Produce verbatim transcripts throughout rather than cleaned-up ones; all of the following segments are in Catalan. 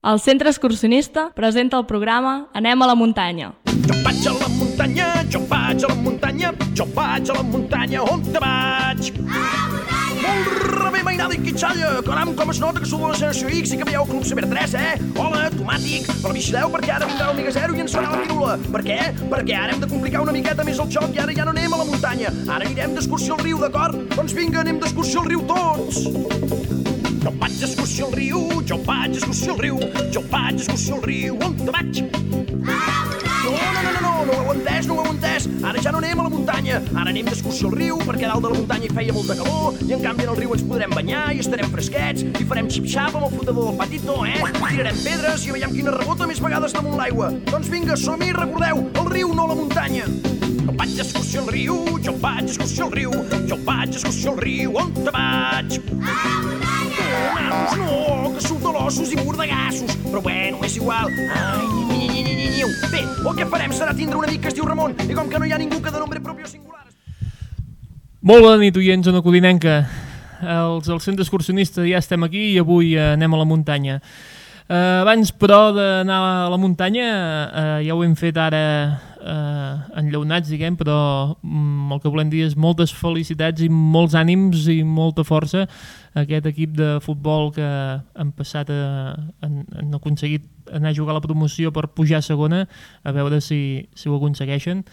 El Centre Excursionista presenta el programa Anem a la muntanya. Jo vaig a la muntanya, jo vaig a la muntanya, jo vaig a la muntanya, on te vaig? A la muntanya! Molt rebé, mainada i quitxalla, caram, com es nota que sou de la generació X i que veieu Club Ciber tres, eh? Hola, tomàtic, però vigileu perquè ara vindrà l'Omega Zero i ens farà la pirula. Per què? Perquè ara hem de complicar una miqueta més el joc i ara ja no anem a la muntanya. Ara anirem d'excursió al riu, d'acord? Doncs vinga, anem d'excursió al riu tots! Jo vaig d'excursió al riu, jo vaig d'excursió al riu, jo vaig d'excursió al riu, on te vaig? A la muntanya! No, no, no, no, no, no ho heu entès, no ho heu entès. Ara ja no anem a la muntanya, ara anem d'excursió al riu perquè dalt de la muntanya hi feia molta calor i en canvi en el riu ens podrem banyar i estarem fresquets i farem xip-xap amb el flotador del patito, eh? Tirarem pedres i veiem quina rebota més vegades damunt l'aigua. Doncs vinga, som-hi, recordeu, el riu, no la muntanya. Jo vaig d'excursió al riu, jo vaig d'excursió al riu, jo vaig d'excursió al riu, on te vaig? A la muntanya! No, nanos, no, que sou de l'ossos i mordegassos. Però bueno, és igual. Ai, ni, ni, ni, ni, ni, ni. Bé, el que farem serà tindre un amic que es diu Ramon i com que no hi ha ningú que de nombre propi o singular... Molt bona nit, oients, zona codinenca. Els del centre excursionista ja estem aquí i avui eh, anem a la muntanya. Uh, abans, però, d'anar a la muntanya, uh, ja ho hem fet ara uh, enllaunats, diguem, però um, el que volem dir és moltes felicitats i molts ànims i molta força a aquest equip de futbol que han passat a, han, han aconseguit anar a jugar a la promoció per pujar a segona, a veure si, si ho aconsegueixen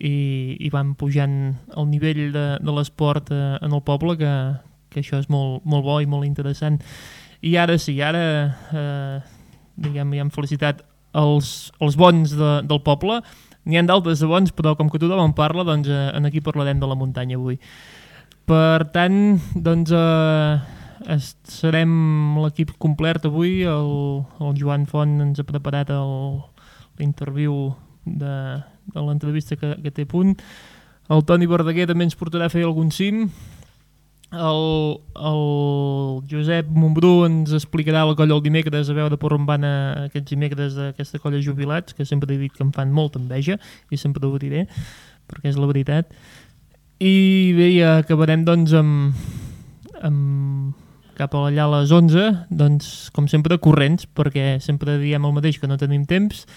i, i van pujant el nivell de, de l'esport uh, en el poble, que, que això és molt, molt bo i molt interessant. I ara sí, ara eh, diguem, ja hem felicitat els, els bons de, del poble. N'hi ha d'altres de bons, però com que tothom en parla, doncs eh, en aquí parlarem de la muntanya avui. Per tant, doncs eh, serem l'equip complet avui. El, el Joan Font ens ha preparat l'interviu de, de l'entrevista que, que té a punt. El Toni Verdaguer també ens portarà a fer algun cim. El, el Josep Montbrú ens explicarà la colla el dimecres, a veure per on van a aquests dimecres d'aquesta colla jubilats, que sempre he dit que em fan molta enveja i sempre ho diré perquè és la veritat. I bé, ja acabarem doncs amb, amb cap allà a les onze, doncs com sempre corrents, perquè sempre diem el mateix, que no tenim temps,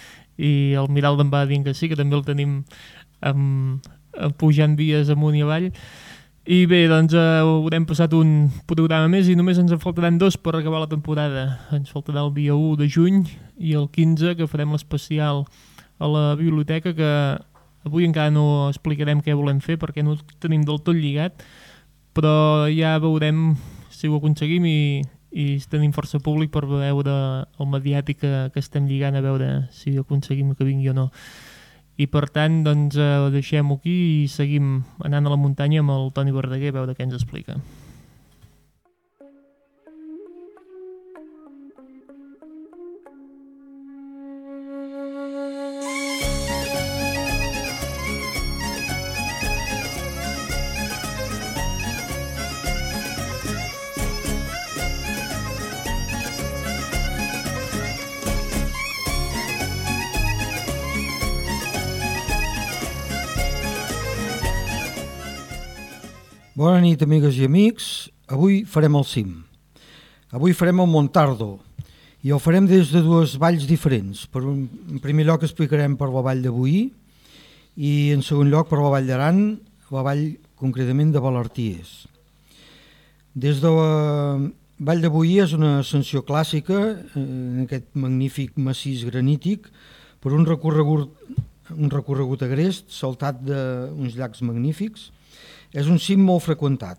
i el Miral em va dient que sí, que també el tenim amb, pujant vies amunt i avall. I bé, doncs eh, haurem passat un programa més i només ens en faltaran dos per acabar la temporada. Ens faltarà el dia u de juny i el quinze, que farem l'especial a la biblioteca, que avui encara no explicarem què volem fer perquè no ho tenim del tot lligat, però ja veurem si ho aconseguim i, i tenim força públic per veure el mediàtic que, que estem lligant, a veure si aconseguim que vingui o no. I per tant, doncs, eh, ho deixem aquí i seguim anant a la muntanya amb el Toni Verdaguer a veure què ens explica. Bona nit, amigues i amics. Avui farem el cim. Avui farem el Montardo i el farem des de dues valls diferents. Per un, en primer lloc explicarem per la vall de Boí i en segon lloc per la vall d'Aran, la vall concretament de Valarties. Des de la vall de Boí és una ascensió clàssica en aquest magnífic massís granític per un recorregut, un recorregut agrest saltat d'uns llacs magnífics. És un cim molt freqüentat.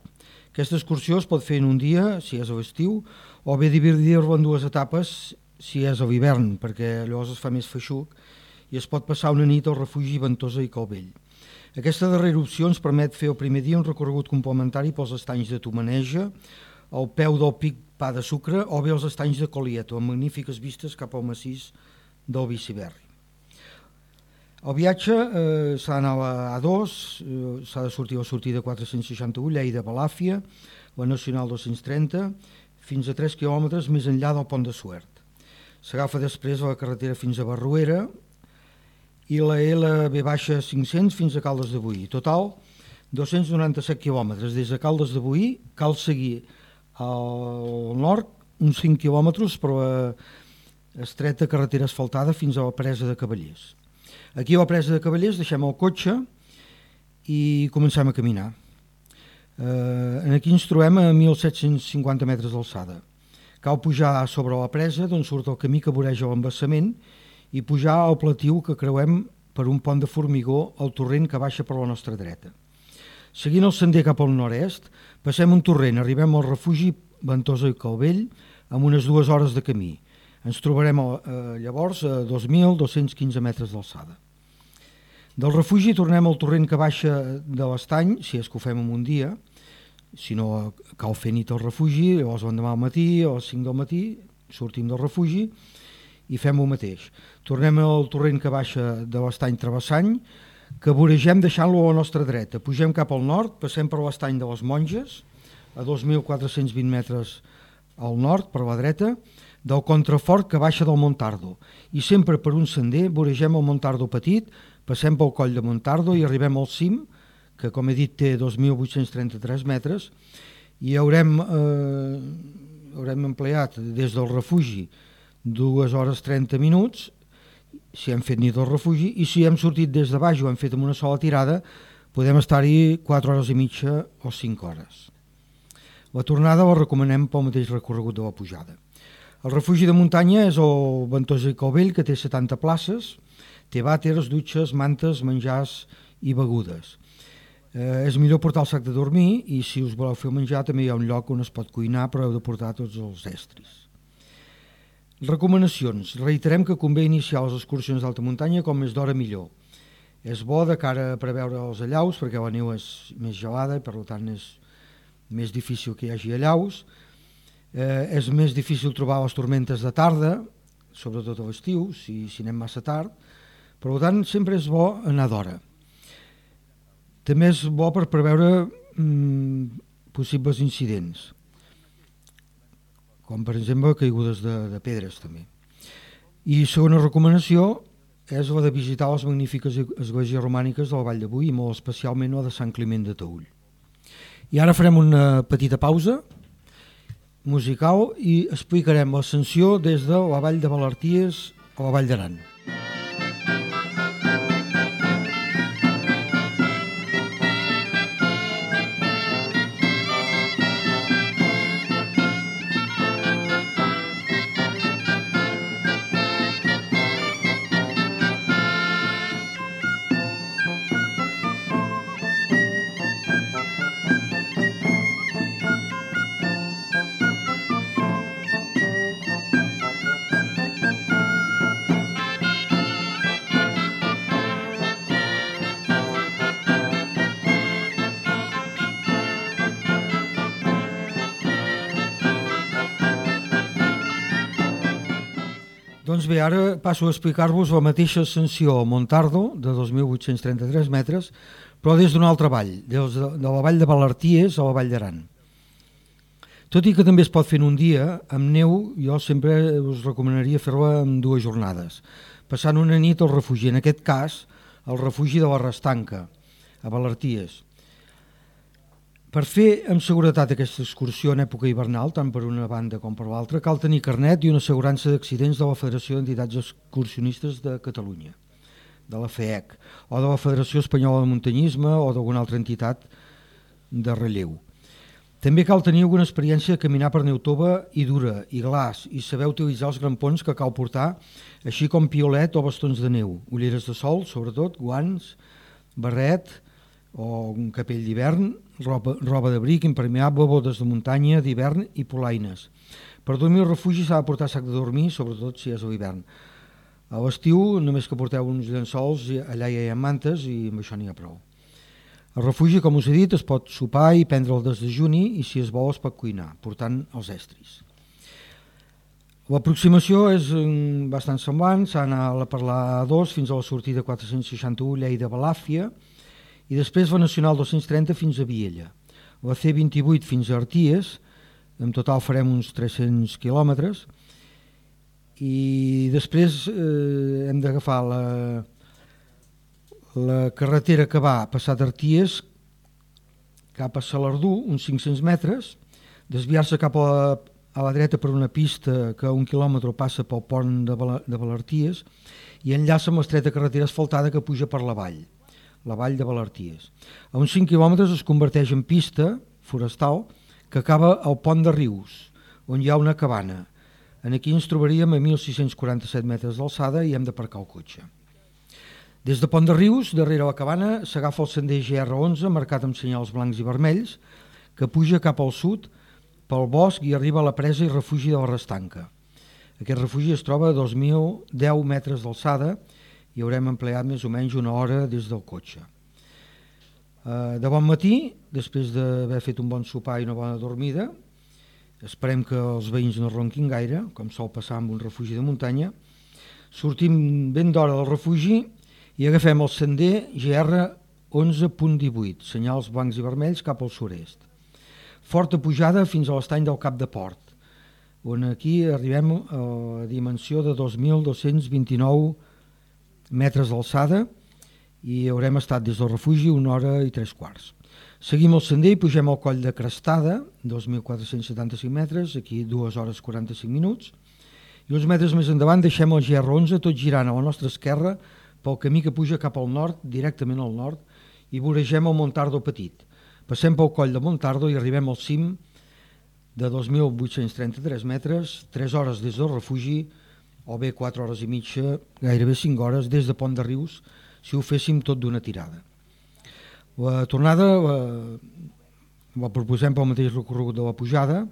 Aquesta excursió es pot fer en un dia, si és a l'estiu, o bé dividir-la en dues etapes, si és a l'hivern, perquè llavors es fa més feixuc i es pot passar una nit al refugi Ventosa i Calvell. Aquesta darrera opció ens permet fer el primer dia un recorregut complementari pels estanys de Tomaneja, al peu del pic Pa de Sucre, o bé els estanys de Colieto, amb magnífiques vistes cap al massís del Biciberri. El viatge eh, s'ha d'anar a A dos, eh, s'ha de sortir a la sortida quatre-cents seixanta-u, Lleida-Balàfia, la Nacional dos-cents trenta, fins a tres quilòmetres més enllà del Pont de Suert. S'agafa després la carretera fins a Barruera i la L B cinc-cents fins a Caldes de Boí. Total, dos-cents noranta-set quilòmetres. Des de Caldes de Boí cal seguir al nord uns cinc quilòmetres per la estreta carretera asfaltada fins a la presa de Cavallers. Aquí a la presa de Cavallers deixem el cotxe i comencem a caminar. Eh, aquí ens trobem a mil set-cents cinquanta metres d'alçada. Cal pujar sobre la presa d'on surt el camí que voreja l'embassament i pujar al platiu que creuem per un pont de formigó al torrent que baixa per la nostra dreta. Seguint el sender cap al nord-est, passem un torrent, arribem al refugi Ventosa i Calvell amb unes dues hores de camí. Ens trobarem eh, llavors a dos mil dos-cents quinze metres d'alçada. Del refugi tornem al torrent que baixa de l'estany, si és que ho fem en un dia, si no cal fer nit al refugi, llavors l'endemà al matí, a les cinc del matí, sortim del refugi i fem el mateix. Tornem al torrent que baixa de l'estany Travessany, que voregem deixant-lo a la nostra dreta. Pugem cap al nord, passem per l'estany de les Monges, a dos mil quatre-cents vint metres al nord, per la dreta, del contrafort que baixa del Montardo. I sempre per un sender voregem el Montardo petit, passem pel coll de Montardo i arribem al cim, que com he dit té dos mil vuit-cents trenta-tres metres, i haurem, eh, haurem empleat des del refugi dues hores trenta minuts, si hem fet nit al refugi, i si hem sortit des de baix i ho hem fet amb una sola tirada, podem estar-hi quatre hores i mitja o cinc hores. La tornada la recomanem pel mateix recorregut de la pujada. El refugi de muntanya és el Ventosa i Calvell, que té setanta places, té vàters, dutxes, mantes, menjars i begudes. Eh, és millor portar el sac de dormir i si us voleu fer menjar també hi ha un lloc on es pot cuinar, però heu de portar tots els estris. Recomanacions. Reiterem que convé iniciar les excursions d'alta muntanya com més d'hora millor. És bo de cara a preveure els allaus perquè la neu és més gelada i per tant és més difícil que hi hagi allaus. Eh, és més difícil trobar les tormentes de tarda, sobretot a l'estiu, si, si anem massa tard. Per tant, sempre és bo anar d'hora. També és bo per preveure mm, possibles incidents, com per exemple caigudes de, de pedres també. I segona recomanació és la de visitar les magnífiques esglésies romàniques de la Vall de Boí i molt especialment la de Sant Climent de Taüll. I ara farem una petita pausa musical i explicarem l'ascensió des de la Vall de Valarties a la Vall d'Aran. Doncs bé, ara passo a explicar-vos la mateixa ascensió al Montardo, de dos mil vuit-cents trenta-tres metres, però des d'una altra vall, des de, de la vall de Valarties a la vall d'Aran. Tot i que també es pot fer en un dia, amb neu jo sempre us recomanaria fer-la en dues jornades, passant una nit al refugi, en aquest cas al refugi de la Restanca, a Valarties. Per fer amb seguretat aquesta excursió en època hivernal, tant per una banda com per l'altra, cal tenir carnet i una assegurança d'accidents de la Federació d'Entitats Excursionistes de Catalunya, de la F E C, o de la Federació Espanyola de Muntanyisme o d'alguna altra entitat de relleu. També cal tenir alguna experiència de caminar per neu tova i dura, i glaç, i saber utilitzar els grampons que cal portar, així com piolet o bastons de neu, ulleres de sol, sobretot, guants, barret o un capell d'hivern, roba, roba d'abric impermeable, botes de muntanya d'hivern i polaines. Per dormir al refugi s'ha de portar sac de dormir, sobretot si és a l'hivern. A l'estiu només que porteu uns llençols, allà hi ha mantes i amb això n'hi ha prou. Al refugi, com us he dit, es pot sopar i prendre el desdejuni i si es vol es pot cuinar, portant els estris. L'aproximació és bastant semblant, s'ha d'anar per la A dos fins a la sortida quatre-cents seixanta-u Lleida-Balàfia i després la Nacional dos-cents trenta fins a Viella. La C vint-i-vuit fins a Arties, en total farem uns tres-cents quilòmetres, i després eh, hem d'agafar la, la carretera que va passar d'Arties cap a Salardú, uns cinc-cents metres, desviar-se cap a, a la dreta per una pista que a un quilòmetre passa pel pont de, Bala, de Balarties i enllaça amb l'estreta carretera asfaltada que puja per la vall, la vall de Balarties. A uns cinc quilòmetres es converteix en pista forestal que acaba al pont de Rius, on hi ha una cabana. En aquí ens trobaríem a mil sis-cents quaranta-set metres d'alçada i hem d'aparcar el cotxe. Des de Pont de Rius, darrere la cabana, s'agafa el sender G R onze marcat amb senyals blancs i vermells que puja cap al sud pel bosc i arriba a la presa i refugi de la Restanca. Aquest refugi es troba a dos mil deu metres d'alçada i haurem empleat més o menys una hora des del cotxe. De bon matí, després d'haver fet un bon sopar i una bona dormida, esperem que els veïns no ronquin gaire, com sol passar amb un refugi de muntanya, sortim ben d'hora del refugi i agafem el sender G R onze punt divuit, senyals blancs i vermells cap al sud-est. Forta pujada fins a l'estany del Cap de Port, on aquí arribem a la dimensió de dos mil dos-cents vint-i-nou metres d'alçada i haurem estat des del refugi una hora i tres quarts. Seguim el sender i pugem al coll de Crestada, dos mil quatre-cents setanta-cinc metres, aquí dues hores quaranta-cinc minuts, i uns metres més endavant deixem el G R onze tot girant a la nostra esquerra pel camí que puja cap al nord, directament al nord, i voregem el Montardo Petit. Passem pel coll de Montardo i arribem al cim de dos mil vuit-cents trenta-tres metres, tres hores des del refugi, o bé quatre hores i mitja, gairebé cinc hores, des de Pont de Rius, si ho féssim tot d'una tirada. La tornada la, la proposem pel mateix recorregut de la pujada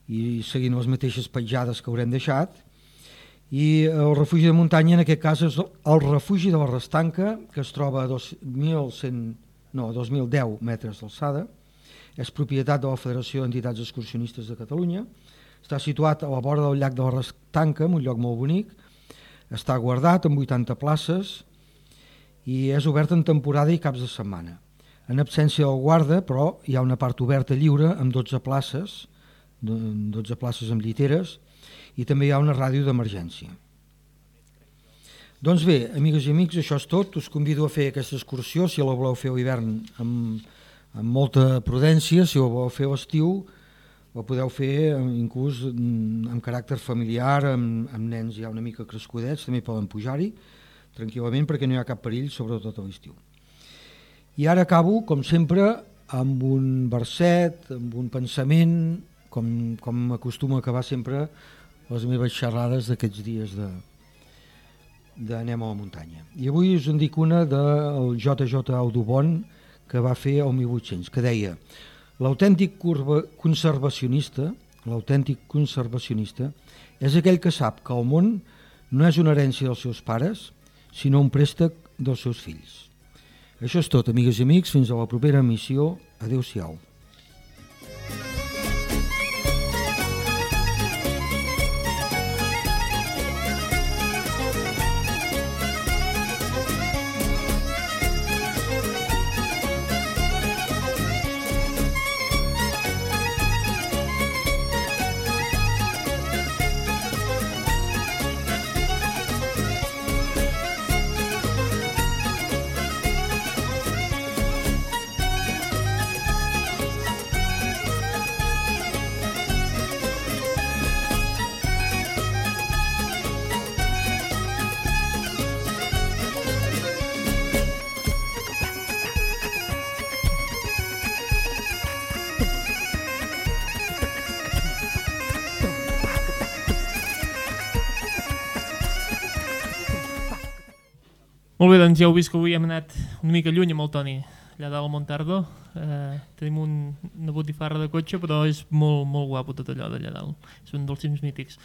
i seguint les mateixes petjades que haurem deixat, i el refugi de muntanya en aquest cas és el refugi de la Restanca, que es troba a dos mil cent, no, dos mil deu metres d'alçada, és propietat de la Federació d'Entitats Excursionistes de Catalunya, està situat a la vora del llac de la Restanca, en un lloc molt bonic, està guardat amb vuitanta places i és obert en temporada i caps de setmana. En absència del guarda, però, hi ha una part oberta lliure amb dotze places, dotze places amb lliteres, i també hi ha una ràdio d'emergència. Doncs bé, amigues i amics, això és tot. Us convido a fer aquesta excursió, si la voleu fer a l'hivern amb, amb molta prudència, si la voleu fer a l'estiu, la podeu fer inclús amb caràcter familiar, amb, amb nens ja una mica crescudets, també poden pujar-hi tranquil·lament perquè no hi ha cap perill, sobretot a l'estiu. I ara acabo, com sempre, amb un verset, amb un pensament, com, com acostuma a acabar sempre les meves xerrades d'aquests dies de d'Anem a la muntanya. I avui us en dic una del J J Audubon que va fer el mil vuit-cents, que deia: l'autèntic conservacionista, l'autèntic conservacionista és aquell que sap que el món no és una herència dels seus pares, sinó un préstec dels seus fills. Això és tot, amigues i amics, fins a la propera emissió. Adéu-siau. Molt bé, doncs ja heu vist que avui hem anat una mica lluny amb el Toni, allà dalt al Montardo. Eh, tenim un, una botifarra de cotxe, però és molt, molt guapo tot allò d'allà dalt. És un dels cims mítics.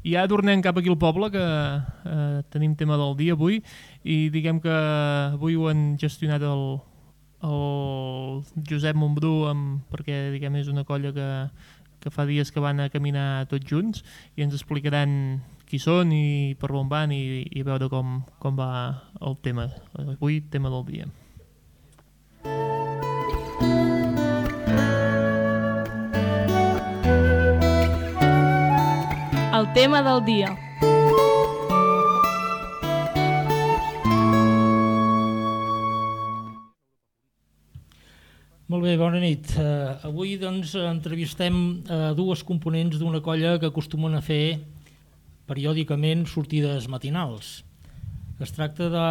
I ja tornem cap aquí al poble, que eh, tenim tema del dia avui, i diguem que avui ho han gestionat el, el Josep Montbrú, amb, perquè diguem és una colla que, que fa dies que van a caminar tots junts, i ens explicaran qui són i per on van i, i veure com, com va el tema. Avui, tema del dia. El tema del dia. Molt bé, bona nit. Uh, avui doncs, entrevistem uh, dues components d'una colla que acostumen a fer periòdicament sortides matinals. Es tracta de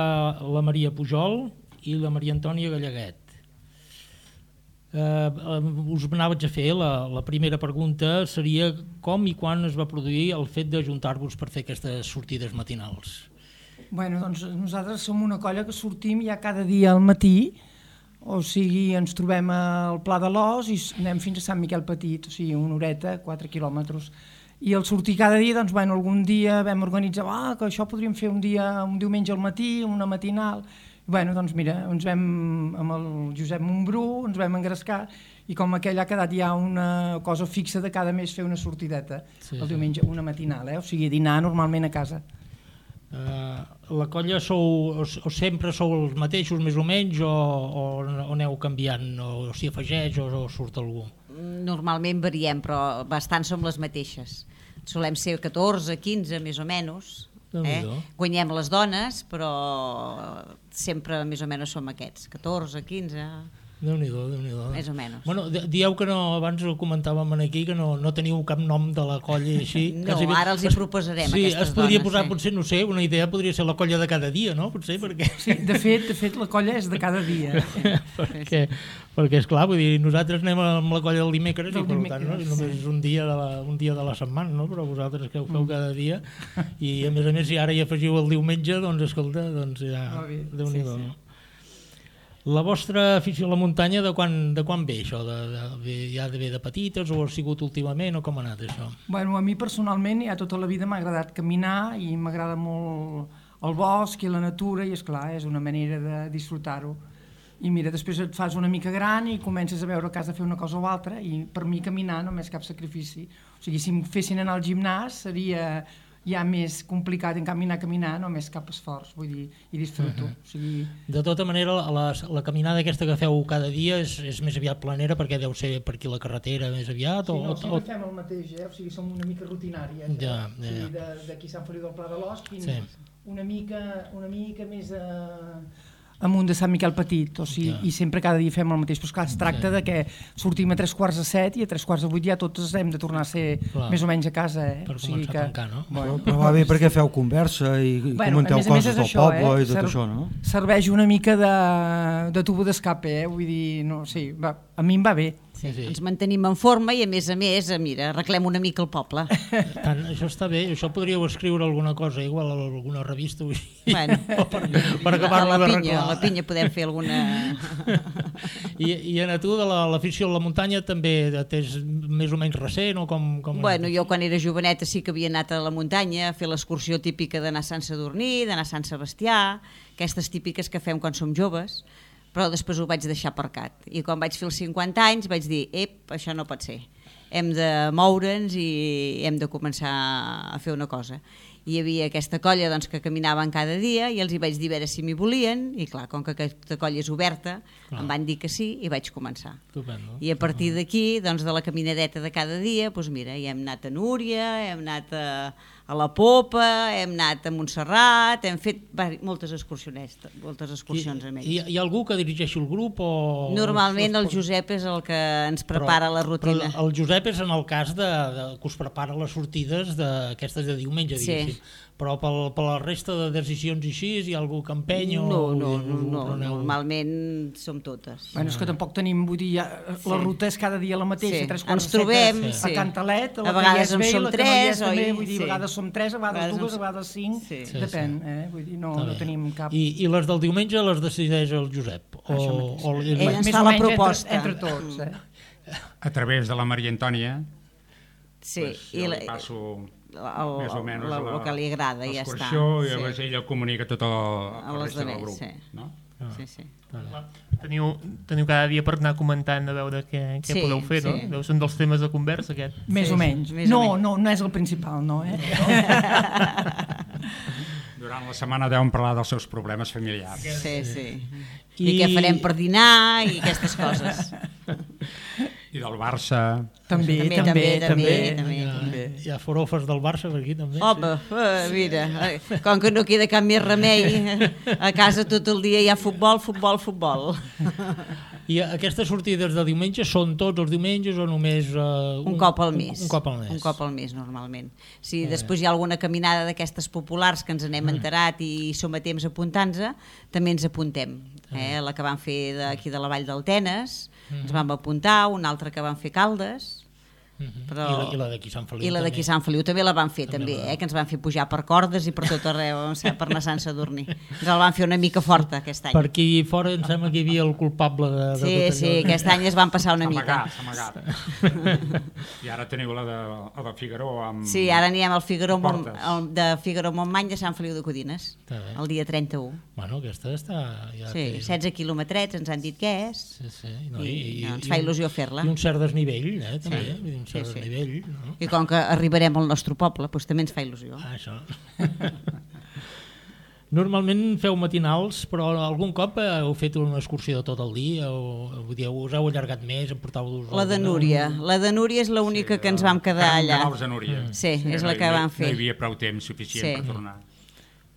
la Maria Pujol i la Maria Antònia Gallaguet. Uh, uh, us anaves a fer, la, la primera pregunta seria com i quan es va produir el fet d'ajuntar-vos per fer aquestes sortides matinals? Bueno, doncs nosaltres som una colla que sortim ja cada dia al matí, o sigui, ens trobem al Pla de l'Os i anem fins a Sant Miquel Petit, o sigui, una horeta, quatre quilòmetres. I al sortir cada dia, doncs, bueno, algun dia vam organitzar, ah, que això podríem fer un dia, un diumenge al matí, una matinal. Bueno, doncs mira, ens vam, amb el Josep Montbrú, ens vam engrescar i com aquell ha quedat ja una cosa fixa de cada mes fer una sortideta, sí, el diumenge, una matinal, eh? O sigui, dinar normalment a casa. Uh, la colla sou, o, o sempre sou els mateixos més o menys o, o, o aneu canviant, o, o s'hi afegeix o, o surt algú? Normalment variem, però bastant som les mateixes. Solem ser catorze, quinze més o menys. Eh? Guanyem les dones, però sempre més o menys som aquests, catorze, quinze... Déu-n'hi-do, Déu-n'hi-do. Més o menys. Bueno, dieu que no, abans ho comentàvem aquí, que no, no teniu cap nom de la colla així. No, quasi... ara els hi proposarem, sí, aquestes es podria dones, posar, sí. Potser, no sé, una idea podria ser la colla de cada dia, no? Potser, perquè... Sí, de fet, de fet la colla és de cada dia. perquè, perquè, esclar, vull dir, nosaltres anem amb la colla del dimecres i per tant, no? Només és un dia, de la, un dia de la setmana, no? Però vosaltres que ho feu cada dia i a més a més si ara hi afegiu el diumenge, doncs escolta, doncs ja, Déu-n'hi-do, no? La vostra afició a la muntanya de quan, de quan ve això? De, de, ja de ve de petites o ha sigut últimament o com ha anat això? Bueno, a mi personalment ja tota la vida m'ha agradat caminar i m'agrada molt el bosc i la natura i esclar, és una manera de disfrutar-ho. I mira, després et fas una mica gran i comences a veure que has de fer una cosa o altra i per mi caminar no és cap sacrifici. O sigui, si em fessin anar al gimnàs seria ja més complicat, en canvi anar a caminar només cap esforç, vull dir, i disfruto. Uh-huh. O sigui... De tota manera, la, la caminada aquesta que feu cada dia és, és més aviat planera perquè deu ser per aquí la carretera més aviat? Sí, o, no, o, sempre o... fem el mateix, eh? O sigui, som una mica rutinàries. Ja, eh? ja, ja. O sigui, d'aquí Sant Feliu del Pla de l'Os fins sí. una, mica, una mica més a... amunt de Sant Miquel Petit, o sigui, ja. I sempre cada dia fem el mateix, però esclar, es tracta sí. de que sortim a tres quarts de set i a tres quarts de vuit ja tots hem de tornar a ser clar. Més o menys a casa, eh? Per o sigui començar que... a tancar, no? Bueno, però va bé perquè feu conversa i, i bueno, comenteu coses del això, poble eh? i tot Ser... això, no? Serveix una mica de, de tubo d'escape, eh? Vull dir, no, sí, va, a mi em va bé. Sí, sí. Ens mantenim en forma i a més a més, mira, arreglem una mica el poble. Tant, això està bé, això podríeu escriure alguna cosa, igual a alguna revista o així, bueno, per, per acabar-la d'arreglar. A la pinya podem fer alguna... I, i a tu, de l'afició a la muntanya, també t'és més o menys recent o com... com bueno, jo quan era joveneta sí que havia anat a la muntanya a fer l'excursió típica d'anar a Sant Sadurní, d'anar a Sant Sebastià, aquestes típiques que fem quan som joves, però després ho vaig deixar aparcat. I quan vaig fer els cinquanta anys vaig dir, ep, això no pot ser. Hem de moure'ns i hem de començar a fer una cosa. I hi havia aquesta colla doncs, que caminaven cada dia i els hi vaig dir a veure si m'hi volien i clar, com que aquesta colla és oberta, clar. Em van dir que sí i vaig començar. Estupendo. I a partir d'aquí, doncs, de la caminadeta de cada dia, doncs mira, ja hem anat a Núria, hem anat a, a la Popa, hem anat a Montserrat, hem fet moltes excursions, moltes excursions amb ells. Hi, hi ha algú que dirigeixi el grup? O... Normalment el Josep és el que ens prepara però, la rutina. Però el Josep és en el cas de, de, que us prepara les sortides d'aquestes de diumenge, diguéssim. Sí. Però per, per la resta de decisions així, hi ha algú que empeny o... No, no, no, no, no normalment som totes. Bueno, és que tampoc tenim, vull dir, ja, sí. La ruta és cada dia la mateixa, sí. tres quarts ens trobem, a sí. Cantalet, a, a vegades en som tres, oi? També, vull dir, sí. a vegades som tres, a vegades, a vegades dues, a vegades cinc, sí. depèn, eh? Vull dir, no, no tenim cap... I, I les del diumenge les decideix el Josep? O, o ell ens fa la proposta. Entre, entre tots, eh? A través de la Maria Antònia, sí. pues, jo I la, passo... El, més o menys el, el que li agrada i ja està. I sí. llavors ella comunica tot el, el resta del grup. Sí. No? Ah. Sí, sí. Teniu, teniu cada dia per anar comentant a veure què, què sí, podeu fer, sí. No? Deu ser un dels temes de conversa aquest. Més sí, o menys. Més no, o menys. No, no és el principal, no, eh? Durant la setmana deuen parlar dels seus problemes familiars. Sí, sí. I, I què farem per dinar i aquestes coses. I del Barça. També, també, també. també, també, també. Hi ha forofes del Barça per aquí també. Home, eh, mira, eh, com que no queda cap més remei, a casa tot el dia hi ha futbol, futbol, futbol. I aquestes sortides de diumenge són tots els diumenges o només... Uh, un, un cop al mes. Un, un cop al mes. Un cop al mes, normalment. Si eh. després hi ha alguna caminada d'aquestes populars que ens n'hem mm. enterat i som a temps apuntant-nos, també ens apuntem. Eh? La que van fer d'aquí de la Vall del Tenes, mm. ens vam apuntar, una altra que van fer Caldes, però... I la, i la d'aquí Sant Feliu i la d'aquí Sant Feliu també la van fer també, també eh? Que ens van fer pujar per cordes i per tot arreu per anar a Sant Sadurní, ens la van fer una mica forta aquest any. Per aquí fora em sembla que hi havia el culpable de, de sí, tot allò. Sí, aquest any es van passar una mica. S'ha amagat. I ara teniu la de, la de Figaró amb... Sí, ara anirem al Figaró Mont, el de Figaró Montmany de Sant Feliu de Codines el dia trenta-u. Bueno, aquesta està... Ja sí, setze quilòmetrets ens han dit que és sí, sí. No, i, i, i no, ens i, fa il·lusió fer-la. I un cert desnivell, eh, també, sí. un cert sí, sí. desnivell. No? I com que arribarem al nostre poble, doncs també ens fa il·lusió. Ah, això. Normalment feu matinals, però algun cop heu fet una excursió de tot el dia o vull dir, us heu allargat més, em portau-vos... La de Núria, la de Núria és l'única sí, que ens vam quedar allà. Mm. Sí, sí, és la que no, vam fer. No hi havia prou temps suficient sí. per tornar.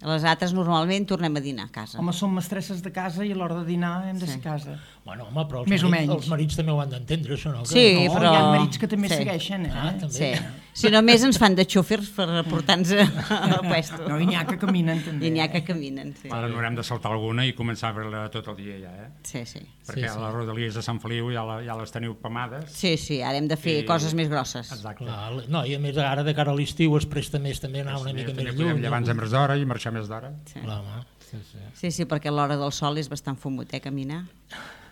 Les altres normalment tornem a dinar a casa. Home, som mestresses de casa i a l'hora de dinar hem de ser a casa. Bueno, home, però els, més marits, els marits també ho han d'entendre, això, no? Que sí, no, però... hi ha marits que també sí. segueixen, eh? Ah, també. Sí. Si només ens fan de xòfers per portar-nos al puesto. No, i n'hi ha que caminen, també. I n'hi ha que caminen, sí. Ara no haurem de saltar alguna i començar a veure-la tot el dia, ja, eh? Sí, sí. Perquè sí, sí. a les rodalies de Sant Feliu ja, la, ja les teniu pamades. Sí, sí, ara hem de fer i... coses més grosses. Exacte. Clar, no, i a més ara de cara a l'estiu es presta més també anar una mica més lluny. Podem llevar-nos a més d'hora i marxar més d'hora. Sí. Clar, home. Sí, sí. sí, sí, perquè l'hora del sol és bastant fumut, eh, caminar.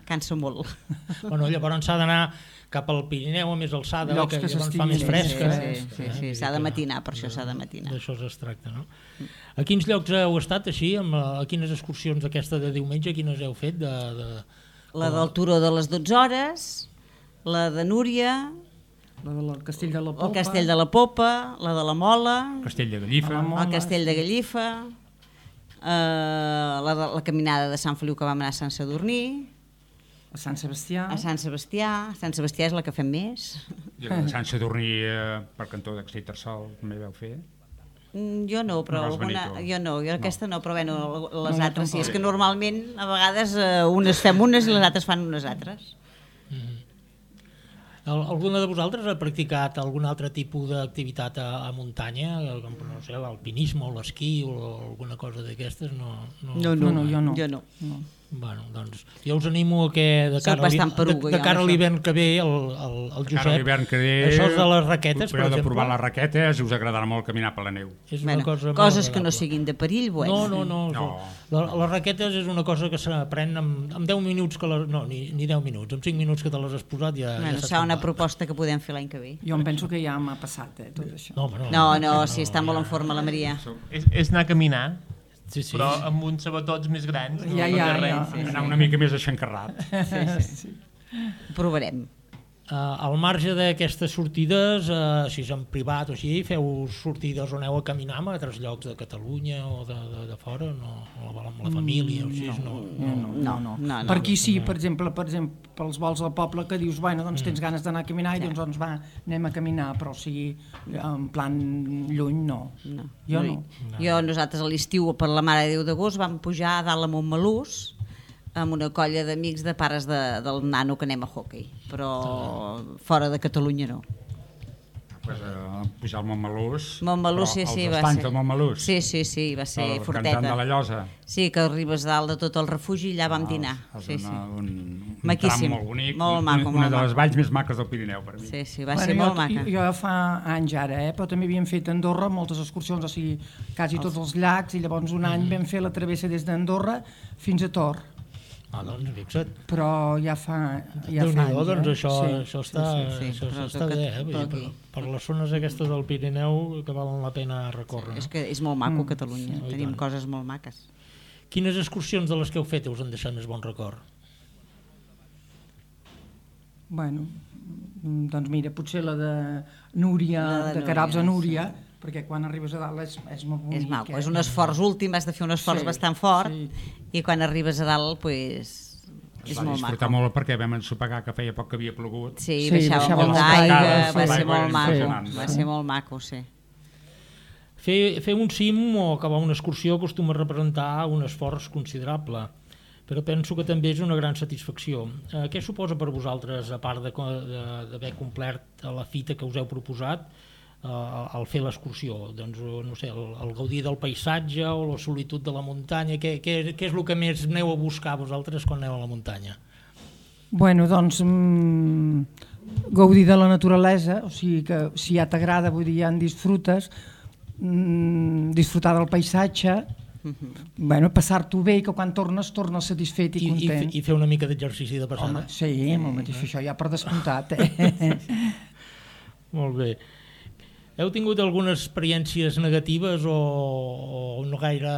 Cansa molt. Bueno, llavors s'ha d'anar cap al Pirineu a més alçada, que, que llavors fa més fresca. Sí, sí, sí, sí, s'ha de matinar, per això s'ha de matinar. D'això es tracta, no? A quins llocs heu estat així? A quines excursions d'aquesta de diumenge, quines heu fet? De, de... La del Turó de les dotze hores, la de Núria... La del Castell de la Popa. El Castell de la Popa, la de la Mola... El Castell de Gallifa. El Castell de Gallifa... Uh, la, la caminada de Sant Feliu que vam anar a Sant Sadurní, a Sant Sebastià. A Sant Sebastià. Sant Sebastià és la que fem més. I la de Sant Sadurní eh, per cantó d'Exetersol també vau fer? Mm, jo no, però no alguna, jo no, jo no. aquesta no, però bueno, les no, altres sí, és que normalment a vegades eh, unes fem unes i les altres fan unes altres. Mm-hmm. Alguna de vosaltres ha practicat algun altre tipus d'activitat a, a muntanya, com no sé, l'alpinisme o l'esquí o alguna cosa d'aquestes? No, no, no, no, no, jo no. Jo no. no. Bueno, doncs jo us animo a que de cara, peruga, de, de cara a l'hivern que ve el, el, el Josep, que ve, això de les raquetes, per exemple. De provar les raquetes, us agradarà molt caminar per la neu. És una bueno, cosa coses que no siguin de perill, bueno. No, no, no. no. La, les raquetes és una cosa que s'aprèn amb, amb deu minuts, que les, no, ni, ni deu minuts, amb cinc minuts que te les has posat ja... Bueno, ja serà una proposta que podem fer l'any que ve. Jo em penso que ja m'ha passat, eh, tot això. No, no, no, no, no, no sí, està ja... molt en forma la Maria. És, és anar a caminar. Sí, sí. Però amb uns sabatots més grans. Ja, ja, ja. Sí, sí. Anar una mica més aixancarrat. Sí, sí. sí. Ho provarem. Uh, al marge d'aquestes sortides, uh, si és en privat o així, feu sortides on aneu a caminar a altres llocs de Catalunya o de, de, de fora, no? O amb la família o així? No, no, no. no, no. no, no. Per aquí sí, per exemple, per exemple, pels vols al poble que dius, bueno, doncs tens ganes d'anar a caminar i doncs, doncs va, anem a caminar, però o sigui, en plan lluny no. no. Jo no. no. Jo, nosaltres a l'estiu per la Mare de Déu d'agost vam pujar a dalt a Montmelús amb una colla d'amics de pares de, del nano que anem a hockey, però fora de Catalunya no. Pues, uh, pujar al Montmelús, Montmelús sí, sí, va ser. Montmelús. Sí, sí, sí, va ser el forteta. Cantant de la Llosa. Sí, que arribes dalt de tot el refugi i allà vam dinar. No, sí, una, sí. Un, un Maquíssim, tram molt bonic, molt maco, una, una molt de les maco. valls més maques del Pirineu per mi. Sí, sí, va bueno, ser jo, molt maca. Jo fa anys ara, eh, però també havíem fet a Andorra moltes excursions, o sigui, quasi tots els llacs, i llavors un any vam fer la travessa des d'Andorra fins a Tor. Ah, doncs, fixa't. Però ja fa, ja fa anys, doncs eh? això, sí, això està, sí, sí, sí. això, Però això està bé, eh? però per, per les zones aquestes del Pirineu que valen la pena recórrer. Sí, és que és molt maco Catalunya, sí, tenim coses molt maques. Quines excursions de les que heu fet us han deixat més bon record? Bueno, doncs mira, potser la de Núria, La de de Carabs a Núria, Núria, perquè quan arribes a dalt és, és molt bonic. És maco, eh? és un esforç últim, has de fer un esforç Sí, bastant fort sí. i quan arribes a dalt, pues, És va molt disfrutar maco. molt perquè vam ensopegar que feia poc que havia plogut. Sí, Sí, baixava baixava molt molta d'aigua, aigua, va sí. ser L'aigua molt era maco, impressionant. va ser molt maco, sí. Fer, fer un cim o acabar una excursió acostuma a representar un esforç considerable, però penso que també és una gran satisfacció. Eh, què suposa per vosaltres, a part d'haver complert la fita que us heu proposat, eh, al fer l'excursió? Doncs, no sé, el, el gaudir del paisatge o la solitud de la muntanya, què, què, què és el que més aneu a buscar vosaltres quan aneu a la muntanya? Bueno, doncs, mmm, gaudir de la naturalesa, o sigui que si ja t'agrada, vull dir, ja en disfrutes, mmm, disfrutar del paisatge, mm-hmm. bueno, passar-t'ho bé i que quan tornes, tornes satisfet i, I, content. i, I fer una mica d'exercici de passada. Home, sí, molt mateix, això ja per descomptat. Eh? Molt bé. Heu tingut algunes experiències negatives o, o no gaire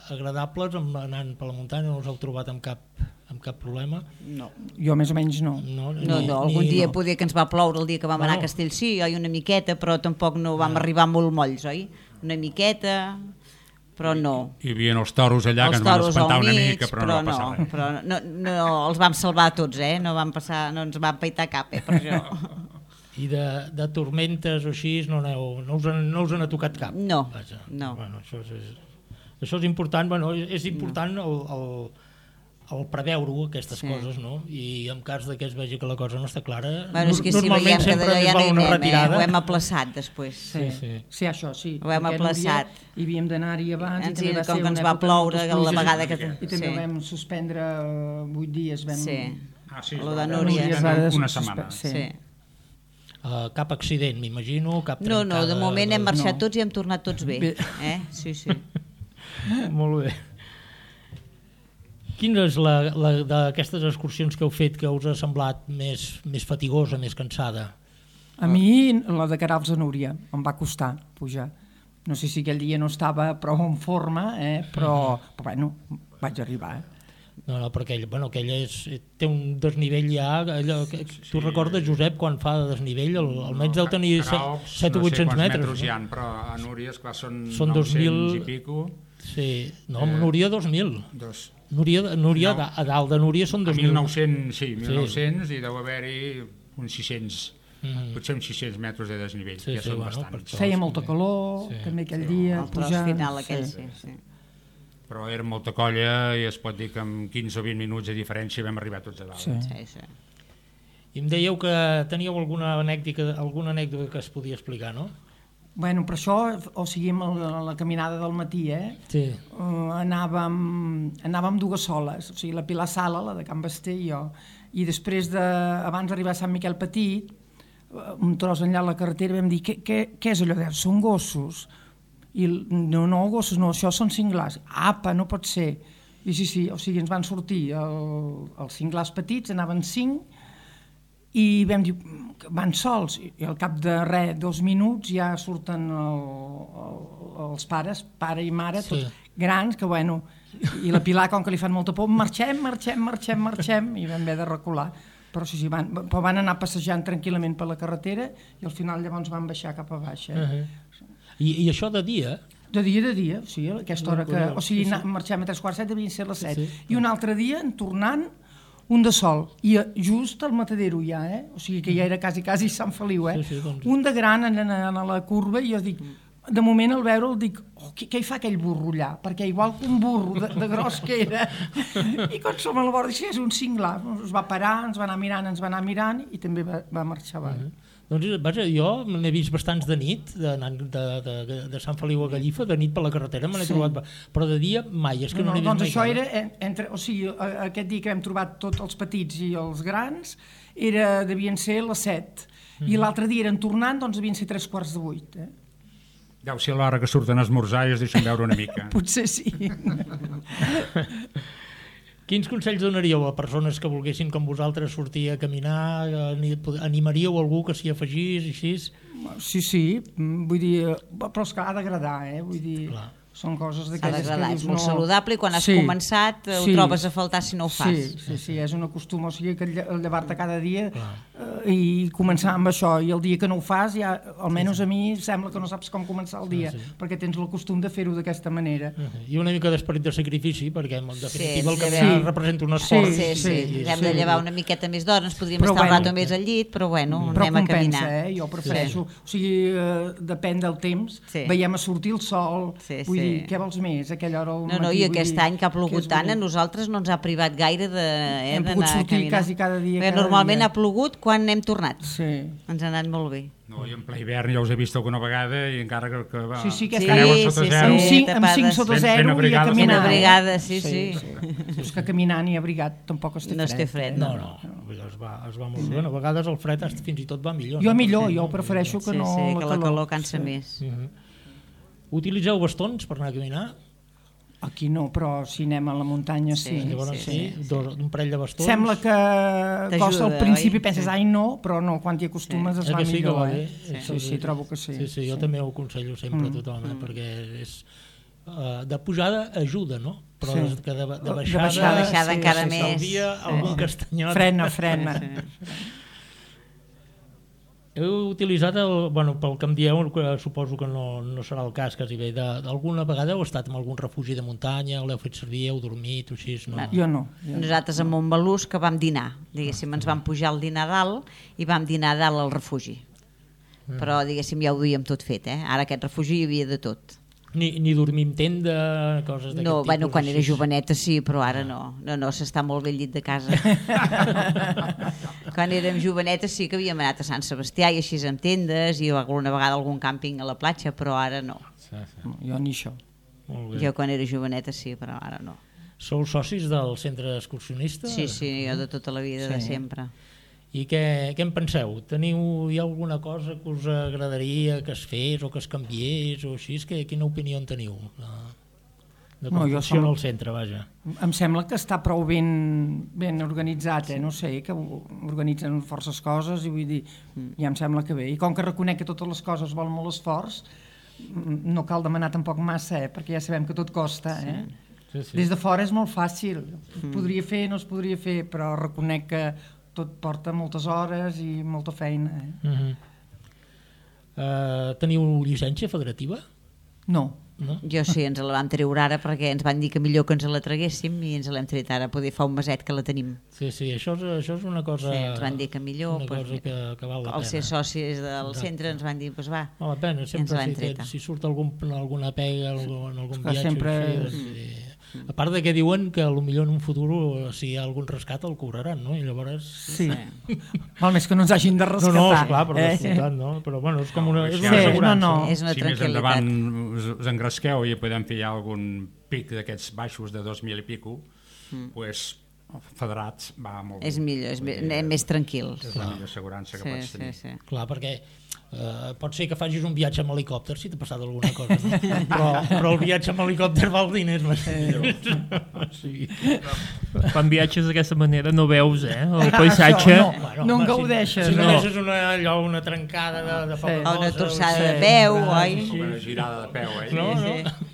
agradables amb, anant per la muntanya? No us heu trobat amb cap, amb cap problema? No. Jo més o menys no. No, no, no. algun ni, dia no. podia que ens va ploure el dia que vam Bueno. anar a Castellcí, oi, una miqueta, però tampoc no vam arribar molt molls, oi? Una miqueta, però no. Hi havia els toros allà Els que ens van toros espantar al una mig, mica, però, però no va passar no, res. però no, no, els vam salvar tots, eh? No, vam passar, no ens va peitar cap, eh, per això. I de, de tormentes o així no, aneu, no, us, en- no us n'ha tocat cap? No, Vaja. no. Bueno, això, és, això és important, bueno, és important el, el, el preveure aquestes Sí. coses, no? I en cas de que es vegi que la cosa no està clara, Bueno, és que si normalment veiem que sempre d'allò es ja no val hi una anem, eh? retirada. Ho hem aplaçat després. Sí, sí. sí, això sí. Ho hem perquè aplaçat. Núria, Hi havíem d'anar-hi abans Ens i també hi- va com ser que ens una va època amb ploure moltes la pluges, vegada que- I també sí. vam suspendre vuit dies. Vam... Sí. Ah, sí, Lo es va de veure Núria. una- es va una suspe- setmana. sí. Sí. Uh, cap accident, m'imagino, cap No, no, de trencada moment hem marxat No. tots i hem tornat tots bé. Bé. Eh? Sí, sí. Molt bé. Quina és la, la d'aquestes excursions que heu fet que us ha semblat més, més fatigosa, més cansada? A mi la de Queralbs a Núria em va costar pujar. No sé si aquell dia no estava prou en forma, eh? però, però bueno, vaig arribar. Eh? No, no, perquè ell, bueno, aquella és, té un desnivell ja, allò, que, tu recordes, Josep, quan fa de desnivell, el, almenys deu tenir set o vuit-cents no sé metres. metres hi ha, però a Núria, esclar, són, Són dos mil nou-cents i pico. Sí, no, Eh, Núria dos mil. Dos, Núria, Núria No. a dalt de Núria són a dos mil. mil nou-cents, sí, mil nou-cents, i deu haver-hi uns sis cents, Mhm. potser uns sis-cents metres de desnivell, Sí, ja sí, són bueno, bastants. per això. Feia molta calor, Sí. també aquell dia. El tros pujant, final aquell, sí. sí, sí. Però era molta colla i es pot dir que amb quinze o vint minuts de diferència vam arribar tots a dalt. Sí. Sí, sí. I em dèieu que teníeu alguna anècdota, alguna anècdota que es podia explicar, no? Bueno, per això, o sigui, amb la, la caminada del matí, eh? Sí. Uh, anàvem, anàvem dues soles, o sigui, la Pilar Sala, la de Can Basté i jo, i després de, abans d'arribar a Sant Miquel Petit, uh, un tros enllà a la carretera, vam dir, què, què, què és allò? Deia, són gossos. I el- no, no, gossos, no, això són cinglars. Apa, no pot ser. I sí, sí, o sigui, ens van sortir el, els cinglars petits, anaven cinc, i vam dir, "Mm, van sols, i al cap de res, dos minuts ja surten el, el, els pares, pare i mare, Sí. tots grans, que bueno, i la Pilar, com que li fan molta por, marxem, marxem, marxem, marxem, i vam haver de recular. Però sí, sí, van, però van anar passejant tranquil·lament per la carretera i al final llavors van baixar cap a baix. Eh? Uh -huh. I, I això de dia? De dia, de dia, sí, a aquesta hora que... O sigui, Sí, sí. na- marxem a tres quarts set, devien ser les set. Sí. I un altre dia, en tornant, un de sol, i eh, just al matadero ja, eh? O sigui que ja era quasi, quasi Sant Feliu, eh? Sí, sí, doncs. Un de gran anant a la curva, i jo dic, de moment al veure'l dic, oh, què, què hi fa aquell burro allà? Perquè igual que un burro de, de gros que era. I quan som a la vora, dic, sí, és un cinglar. Es va parar, ens va anar mirant, ens va anar mirant, i també va, va marxar avall. Uh-huh. Doncs, vaja, jo n'he vist bastants de nit, de, de, de, de Sant Feliu a Gallifa, de nit per la carretera me n'he Sí. trobat, però de dia mai, és que no, No, n'he no, vist doncs mai. això cap. era, en- entre, o sigui, a- aquest dia que hem trobat tots els petits i els grans, era, devien ser les set, i l'altre dia eren tornant, doncs devien ser tres quarts de vuit. Eh? Deu ser l'hora que surten a esmorzar i es deixen veure una mica. Potser sí. Quins consells donaríeu a persones que volguessin com vosaltres sortir a caminar? Ani- Animaríeu algú que s'hi afegís, així? Sí, sí, mm, vull dir, però és que ha d'agradar, eh? Vull dir, Clar. o Són coses S'ha d'aquelles que d'agradar, dius... és molt saludable i quan has començat ho trobes a faltar si no ho fas. Sí, sí, sí, és una costum, o sigui que llevar-te cada dia eh, i començar amb això, i el dia que no ho fas, ja, almenys a mi sembla que no saps com començar el dia, perquè tens el costum de fer-ho d'aquesta manera. I una mica d'esperit de sacrifici, perquè en definitiva el que sí. representa un esforç. Sí, sí, sí. Hem de llevar una miqueta més d'hora, ens podríem Però estar un bueno, rato més al llit, però bueno, però anem a compensa, caminar. eh? Jo prefereixo, o sigui, eh, depèn del temps, Sí. veiem a sortir el sol, Sí, vull sí. dir, què vols més? Aquella hora al No, no, matí, i vull aquest dir, any que ha plogut és tant, a bonic. nosaltres no ens ha privat gaire de, eh, Hem d'anar pogut a sortir caminar. quasi cada dia, Perquè cada normalment dia. ha plogut quan hem tornat. Sí. Ens ha anat molt bé. No, i en ple hivern ja us he vist alguna vegada i encara que, que va, Sí, sí, aquest que any- aneu a Sí, sota sí, zero. Amb sí. cinc, amb cinc tapades. sota Ben- zero ben i a abrigades. caminar. Ben abrigades, sí, sí. És que caminant i abrigat tampoc es té No es té fred. fred, eh? No, no, vull dir, es va, es va molt bé. Bueno, a vegades el fred fins i tot va millor. Jo no? millor, jo prefereixo que Sí, no sí, que la la calor. calor cansa més. Utilitzeu bastons per anar a caminar? Aquí no, però si anem a la muntanya sí. Sí, Llavors sí, sí, dos- un parell de bastons. Sembla que costa al T'ajuda, principi, oi? penses, Sí. ai no, però no, quan t'hi acostumes es Eh va que sí que millor. va bé? Eh? Sí, sí, trobo que sí. Sí, sí, jo també ho aconsello sempre a tothom, eh? perquè és, uh, de pujada ajuda, no? Però Sí. sí. que de, de De baixada, baixada, De baixada sí, encara sí, més. s'alvia algun castanyot. Frena, frena. Heu utilitzat, el, bueno, pel que em dieu, que suposo que no, no serà el cas quasi bé, de- d'alguna vegada heu estat en algun refugi de muntanya, l'heu fet servir, heu dormit o així? No? Jo no. Jo. Nosaltres a Montbalús que vam dinar, diguéssim, ens vam pujar al dinar a dalt i vam dinar a dalt al refugi. Però diguéssim ja ho duíem tot fet, eh? Ara aquest refugi hi havia de tot. Ni, ni dormir en tenda, coses d'aquest No, tipus? bueno, quan era així? joveneta sí, però ara no. No, no, s'està molt bé al llit de casa. Quan érem jovenetes sí que havíem anat a Sant Sebastià i així amb tendes i alguna vegada algun càmping a la platja, però ara no. Sí, sí. No, jo ni això. Molt bé. Jo quan era joveneta sí, però ara no. Sou socis del centre excursionista? Sí, sí, jo de tota la vida, de Sí. sempre. I què, què en penseu? Teniu, hi ha alguna cosa que us agradaria que es fes o que es canviés o així? Que, quina opinió en teniu? De, de com No, jo funciona som- el centre, vaja. Em sembla que està prou ben, ben organitzat, eh? No sé, que ho- organitzen forces coses i vull dir, ja em sembla que bé. I com que reconec que totes les coses volen molt esforç, mm, no cal demanar tampoc massa, eh? Perquè ja sabem que tot costa, eh? Sí, sí. Des de fora és molt fàcil. Es podria fer, no es podria fer, però reconec que tot porta moltes hores i molta feina. Eh? Uh -huh. uh, teniu llicència federativa? No. No? Jo sí, ens la vam treure ara perquè ens van dir que millor que ens la traguéssim i ens l'hem tret ara, poder fa un meset que la tenim. Sí, sí, això és, això és una cosa... Sí, ens van dir que millor, una pues, cosa que, que val la al pena. ser socis del Exacte. centre ens van dir, pues va, Val la pena, ens sempre l'hem si, treta. si surt algun, alguna pega algun, en algun Esclar, viatge sempre així, doncs, sí. A part de que diuen que potser en un futur si hi ha algun rescat el cobraran, no? I llavors... Sí. Val més que no ens hagin de No, rescatar. no, esclar, però eh? descomptat, no? Però bueno, és com una, és Sí, una no, assegurança. no. És una Si més tranquil·litat. endavant us, us engresqueu i podem fer ja algun pic d'aquests baixos de dos mil i pico, mm. pues, federats va molt És millor, és més, anem més tranquils. És la millor assegurança que Sí, pots sí, tenir. sí. Clar, perquè eh, pot ser que facis un viatge amb helicòpter si t'ha passat alguna cosa, no? però, però el viatge amb helicòpter val diners. Sí. Quan viatges d'aquesta manera no veus eh, el paisatge. no. Bueno, No en home, gaudeixes, Si, si no, no. deixes una, allò, una trencada de, de Sí. poca O una cosa, torçada o de sigui, peu, un braç, oi? Com una girada de peu, eh? No, no. Sí.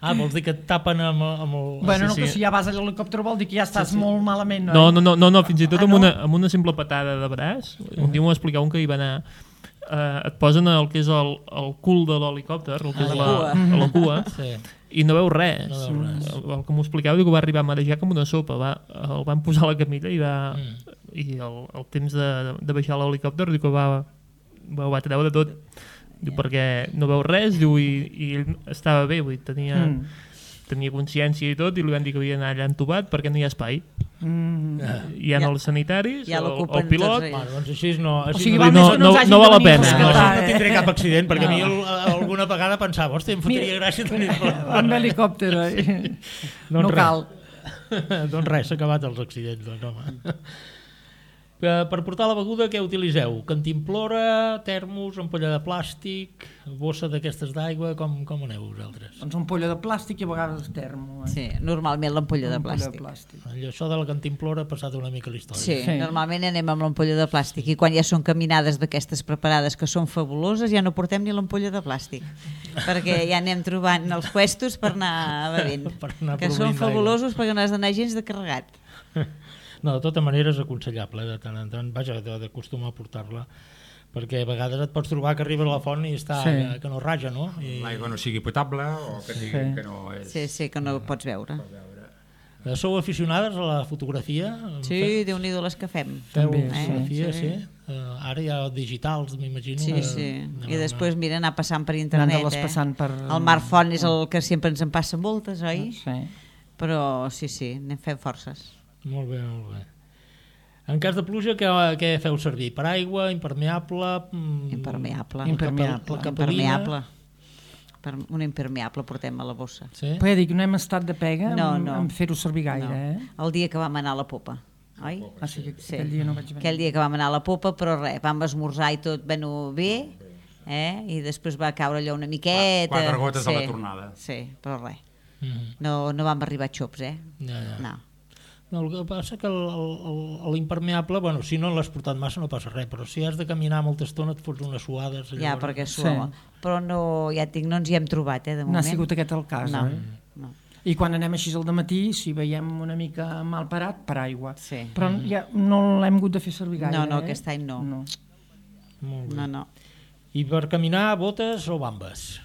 Ah, vols dir que et tapen amb, amb el... Bueno, no, Sí, que sí. si ja vas a l'helicòpter vol dir que ja estàs molt malament, no? No, no, no, no, no fins i tot Ah, amb, no? una, amb una simple patada de braç. Un dia m'ho va explicar un que hi va anar. Eh, et posen el que és el, el cul de l'helicòpter, el que és A la, la a la cua, Sí. i no veu res. No veu res. El, el que m'ho explicava diu que va arribar a marejar com una sopa. Va, el van posar a la camilla i, va, Mm. i el, el temps de, de baixar l'helicòpter diu que va, va, va treure tot. Diu, perquè no veu res, diu, i, i ell estava bé, vull dir, tenia, Mm. tenia consciència i tot, i li van dir que havia d'anar allà entubat perquè no hi ha espai. Mm. Hi ha Ja- els sanitaris, ja el, l'ocupen el pilot... tots ells. Bueno, doncs així no... O Així sigui, no, val no- més que no, no- ens hagin no de val la venir a pena, no, rescatar, no eh? tindré cap accident, perquè No. a mi el, alguna vegada pensava, hòstia, em fotria gràcia tenir-lo. Amb helicòpter, eh? Doncs No res. cal. Doncs res, s'ha acabat els accidents, doncs, home. Per portar la beguda, què utilitzeu? Cantimplora, termos, ampolla de plàstic, bossa d'aquestes d'aigua, com, com aneu vosaltres? Doncs ampolla de plàstic i a vegades termo. Eh? Sí, normalment l'ampolla de plàstic. de plàstic. Allò, això de la cantimplora ha passat una mica la història. Sí, Sí. normalment anem amb l'ampolla de plàstic i quan ja són caminades d'aquestes preparades que són fabuloses ja no portem ni l'ampolla de plàstic perquè ja anem trobant els puestos per anar bevent, Per anar que són proveint fabulosos perquè no has d'anar gens de carregat. No, de tota manera és aconsellable, de tant en tant, vaja, d'acostumar a portar-la, perquè a vegades et pots trobar que arribes a la font i està Sí. que, que no raja, no? I... L'aigua no sigui potable o que, sigui, Sí. que no és... Sí, sí, que no ho pots veure. Eh, Sou aficionades a la fotografia? Sí, Déu-n'hi-do les que fem. Feu També, fotografia, sí. sí. Uh, ara hi ha digitals, m'imagino. Sí, que sí. anem I a després, una- mira, anar passant per internet. Anant-les Eh? passant per... El Marc Font és el que sempre ens en passa moltes, oi? Sí. Però sí, sí, anem fent forces. Molt bé, molt bé. En cas de pluja, què, què feu servir? Per aigua, impermeable? Mm, Impermeable. Impermeable. La capelina? Impermeable. Per un impermeable portem a la bossa. Sí? Però ja dic, no hem estat de pega No, en, no. en fer-ho servir gaire, No. eh? El dia que vam anar a la popa, oi? Ah, sí, que Sí. aquell dia no vaig venir. Aquell dia que vam anar a la popa, però res, vam esmorzar i tot bueno, bé, eh? I després va caure allò una miqueta. Quatre gotes sí, a la tornada. Sí, però res. Mm. No, no vam arribar a xops, eh? Ja, ja. No. No, el que passa que el- el- el- l'impermeable, bueno, si no l'has portat massa no passa res, però si has de caminar molta estona et fots unes suades. Ja, llavors- perquè Sí. suava. Però no, ja et dic, no ens hi hem trobat, eh, de No moment. ha sigut aquest el cas, No, eh? no. I quan anem així al dematí, si veiem una mica mal parat, per aigua. Sí. Però ja no l'hem hagut de fer servir gaire, No, no, eh? aquest any no. no. Molt bé. No, no. I per caminar, botes o bambes?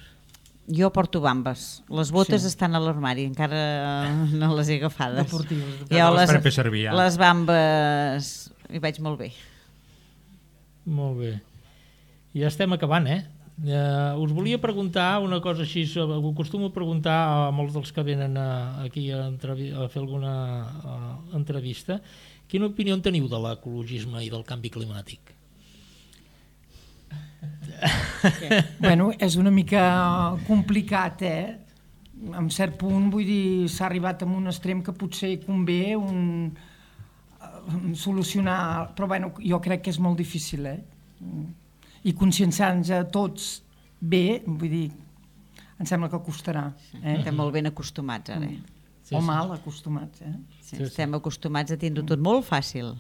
Jo porto bambes. Les botes Sí. estan a l'armari, encara no les he agafades. Deportives. Jo les per fer servir, ja. les bambes hi vaig molt bé. Molt bé. I ja estem acabant, eh? Uh, us volia preguntar una cosa així, ho acostumo a preguntar a molts dels que venen a, aquí a, entrevi a fer alguna uh, entrevista. Quina opinió en teniu de l'ecologisme i del canvi climàtic? Bueno, és una mica complicat, eh? En cert punt, vull dir, s'ha arribat a un extrem que potser convé un, eh, solucionar, però bueno, jo crec que és molt difícil, eh? I conscienciar-nos a tots bé, vull dir, em sembla que costarà. Eh? Estem molt ben acostumats ara. Eh? Sí, O sí. mal acostumats, eh? Sí, estem acostumats a tindre tot molt fàcil.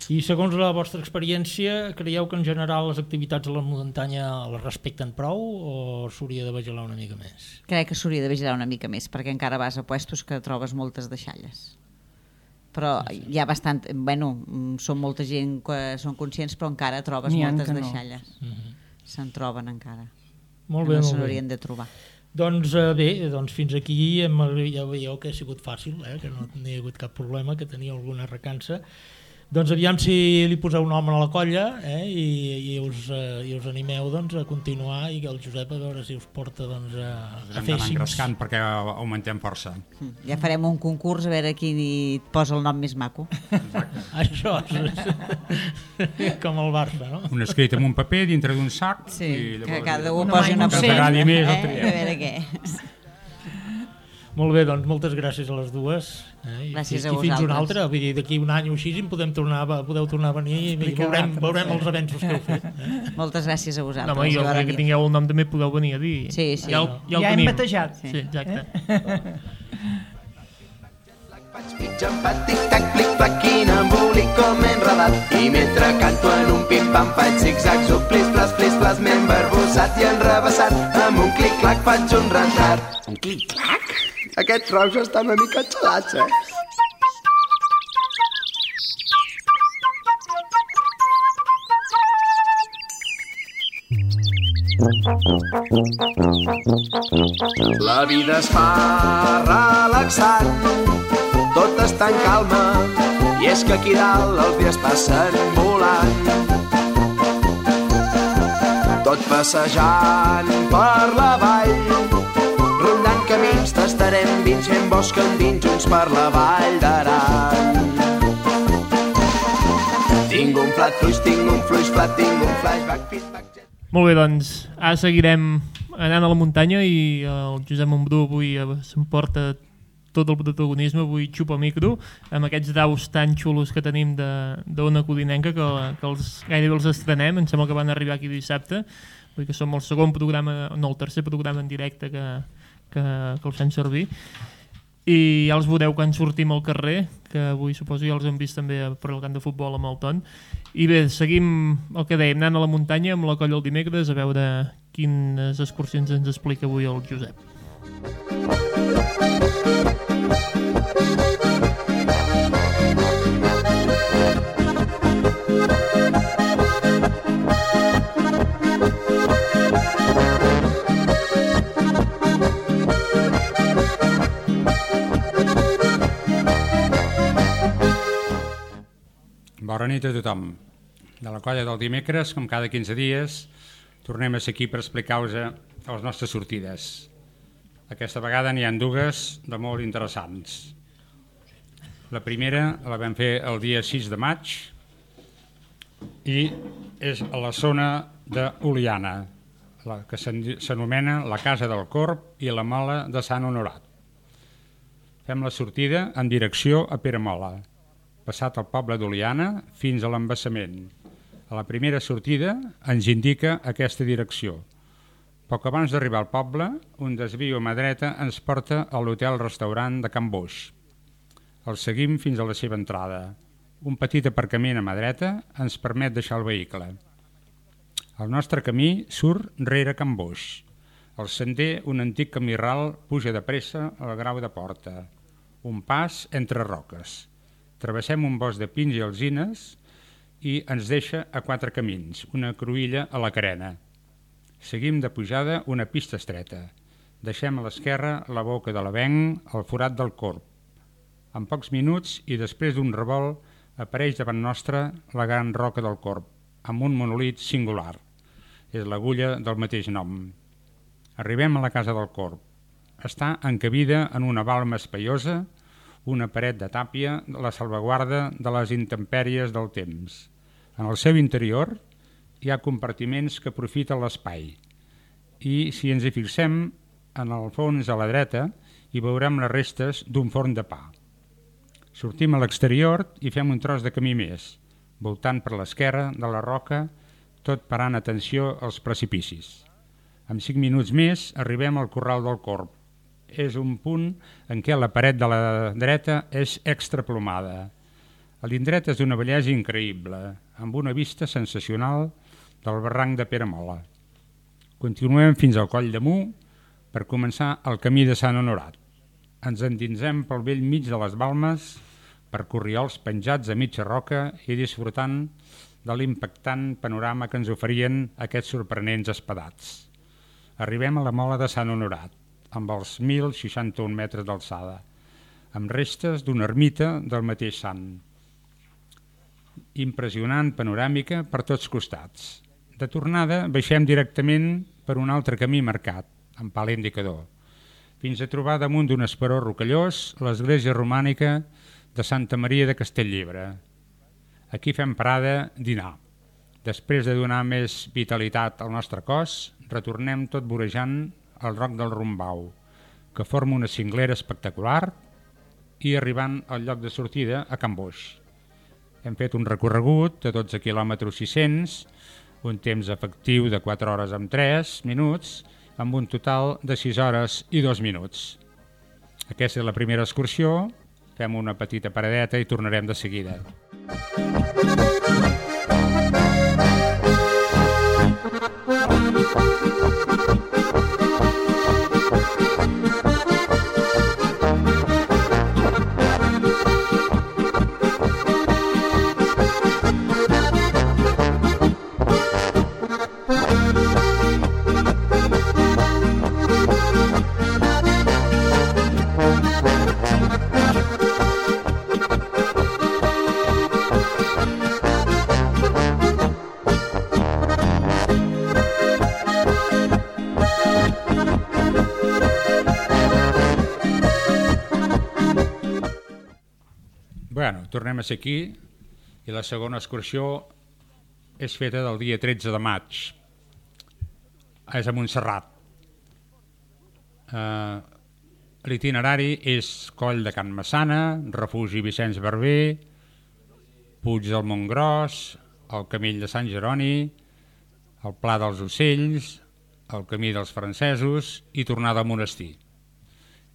I segons la vostra experiència, creieu que en general les activitats a la muntanya les respecten prou o s'hauria de vigilar una mica més? Crec que s'hauria de vigilar una mica més, perquè encara vas a puestos que trobes moltes deixalles. Però hi ha bastant... Bueno, mm, són molta gent que són conscients, però encara trobes N'hi ha moltes que no. deixalles. Se'n troben encara. Molt Que bé, no se molt bé. n'haurien de trobar. Doncs eh, bé, doncs fins aquí hem, ja veieu que ha sigut fàcil, eh? Que no hi ha hagut cap problema, que tenia alguna recança. Doncs aviam si li poseu nom a la colla, eh? I, i, us, eh, i us animeu doncs, a continuar i que el Josep a veure si us porta doncs, a, a Hem fer d'anar cinc. engrescant perquè augmentem força. Mm. Ja farem un concurs a veure qui hi posa el nom més maco. Això és com el Barça, no? Un escrit en un paper dintre d'un sac Sí, i que llavors... cada un Una posi mà i una un Que seny. t'agradi més el eh? A triem. veure què. Molt bé, doncs moltes gràcies a les dues. Eh? I, Gràcies i, a i fins vosaltres. una altra, vull dir, d'aquí un any o així en podem tornar, a- podeu tornar a venir i Explicar veurem, l'altre, veurem sí. els avenços que heu fet. Eh? Moltes gràcies a No, vosaltres. home, jo per crec que venir. tingueu el nom també podeu venir a dir. Sí, sí. Ja, el- ja, el Ja hem tenim. batejat. Sí, exacte. Vaig pitjant pa, tic-tac, plic-plac, quin embolic com m'he enredat. I mentre canto en un pim-pam faig zig-zags o plis-plas, plis-plas, m'he embarbussat i enrebaçat. Amb un clic-clac faig un retrat. Un clic-clac? Aquests rocs estan una mica xalats, eh? La vida es fa relaxant, tot està en calma, i és que aquí dalt els dies passen volant. Tot passejant per la vall, rondant camins, tastarem vins, fent bosc endins, junts per la vall d'Aran. Tinc un plat fluix, tinc un fluix plat, tinc un flashback, feedback, jet. Molt bé, doncs, ara seguirem anant a la muntanya i el Josep Montbrú avui eh, s'emporta tot el protagonisme, avui xupa micro, amb aquests daus tan xulos que tenim d'Ona Codinenca, que, que els, gairebé els estrenem, em sembla que van arribar aquí dissabte, vull dir que som el segon programa, no, el tercer programa en directe que, que, que els fem servir. I ja els veureu quan sortim al carrer, que avui suposo ja els hem vist també per al camp de futbol amb el Ton. I bé, seguim el que dèiem, anant a la muntanya amb la colla el dimecres a veure quines excursions ens explica avui el Josep. Bona nit a tothom. De la colla del dimecres, com cada quinze dies, tornem a ser aquí per explicar-vos les nostres sortides. Aquesta vegada n'hi ha dues de molt interessants. La primera la vam fer el dia sis de maig i és a la zona d'Oliana, la que s'anomena la Casa del Corb i la Mola de Sant Honorat. Fem la sortida en direcció a Peramola, passat el poble d'Oliana fins a l'embassament. A la primera sortida ens indica aquesta direcció. Poc abans d'arribar al poble, un desvio a mà dreta ens porta a l'hotel-restaurant de Can Boix. El seguim fins a la seva entrada. Un petit aparcament a mà dreta ens permet deixar el vehicle. El nostre camí surt rere Can Boix. El sender, un antic camí ral, puja de pressa al Grau de Porta. Un pas entre roques. Travessem un bosc de pins i alzines i ens deixa a quatre camins, una cruïlla a la carena. Seguim de pujada una pista estreta. Deixem a l'esquerra la boca de l'Avenc, el forat del Corb. En pocs minuts i després d'un revolt apareix davant nostra la gran roca del Corb, amb un monolit singular. És l'agulla del mateix nom. Arribem a la Casa del Corb. Està encabida en una balma espaiosa, una paret de tàpia, la salvaguarda de les intempèries del temps. En el seu interior hi ha compartiments que aprofiten l'espai i, si ens hi fixem, en el fons a la dreta hi veurem les restes d'un forn de pa. Sortim a l'exterior i fem un tros de camí més, voltant per l'esquerra de la roca, tot parant atenció als precipicis. En cinc minuts més arribem al Corral del Corb. És un punt en què la paret de la dreta és extraplomada. L'indret és d'una bellesa increïble, amb una vista sensacional del barranc de Peramola. Continuem fins al Coll de Mu per començar el camí de Sant Honorat. Ens endinsem pel vell mig de les balmes, per corriols penjats a mitja roca i disfrutant de l'impactant panorama que ens oferien aquests sorprenents espadats. Arribem a la Mola de Sant Honorat, amb els mil seixanta-un metres d'alçada, amb restes d'una ermita del mateix sant. Impressionant panoràmica per tots costats. De tornada baixem directament per un altre camí marcat, amb pal indicador, fins a trobar damunt d'un esperó rocallós l'església romànica de Santa Maria de Castellllibre. Aquí fem parada dinar. Després de donar més vitalitat al nostre cos, retornem tot vorejant al Roc del Rombau, que forma una cinglera espectacular, i arribant al lloc de sortida a Can Boix. Hem fet un recorregut de dotze quilòmetres sis-cents, un temps efectiu de quatre hores amb tres minuts, amb un total de sis hores i dos minuts. Aquesta és la primera excursió, fem una petita paradeta i tornarem de seguida. Bueno, tornem a ser aquí i la segona excursió és feta del dia tretze de maig. És a Montserrat. Eh, l'itinerari és Coll de Can Massana, Refugi Vicenç Barber, Puig del Montgròs, el Camí de Sant Jeroni, el Pla dels Ocells, el Camí dels Francesos i tornada al monestir.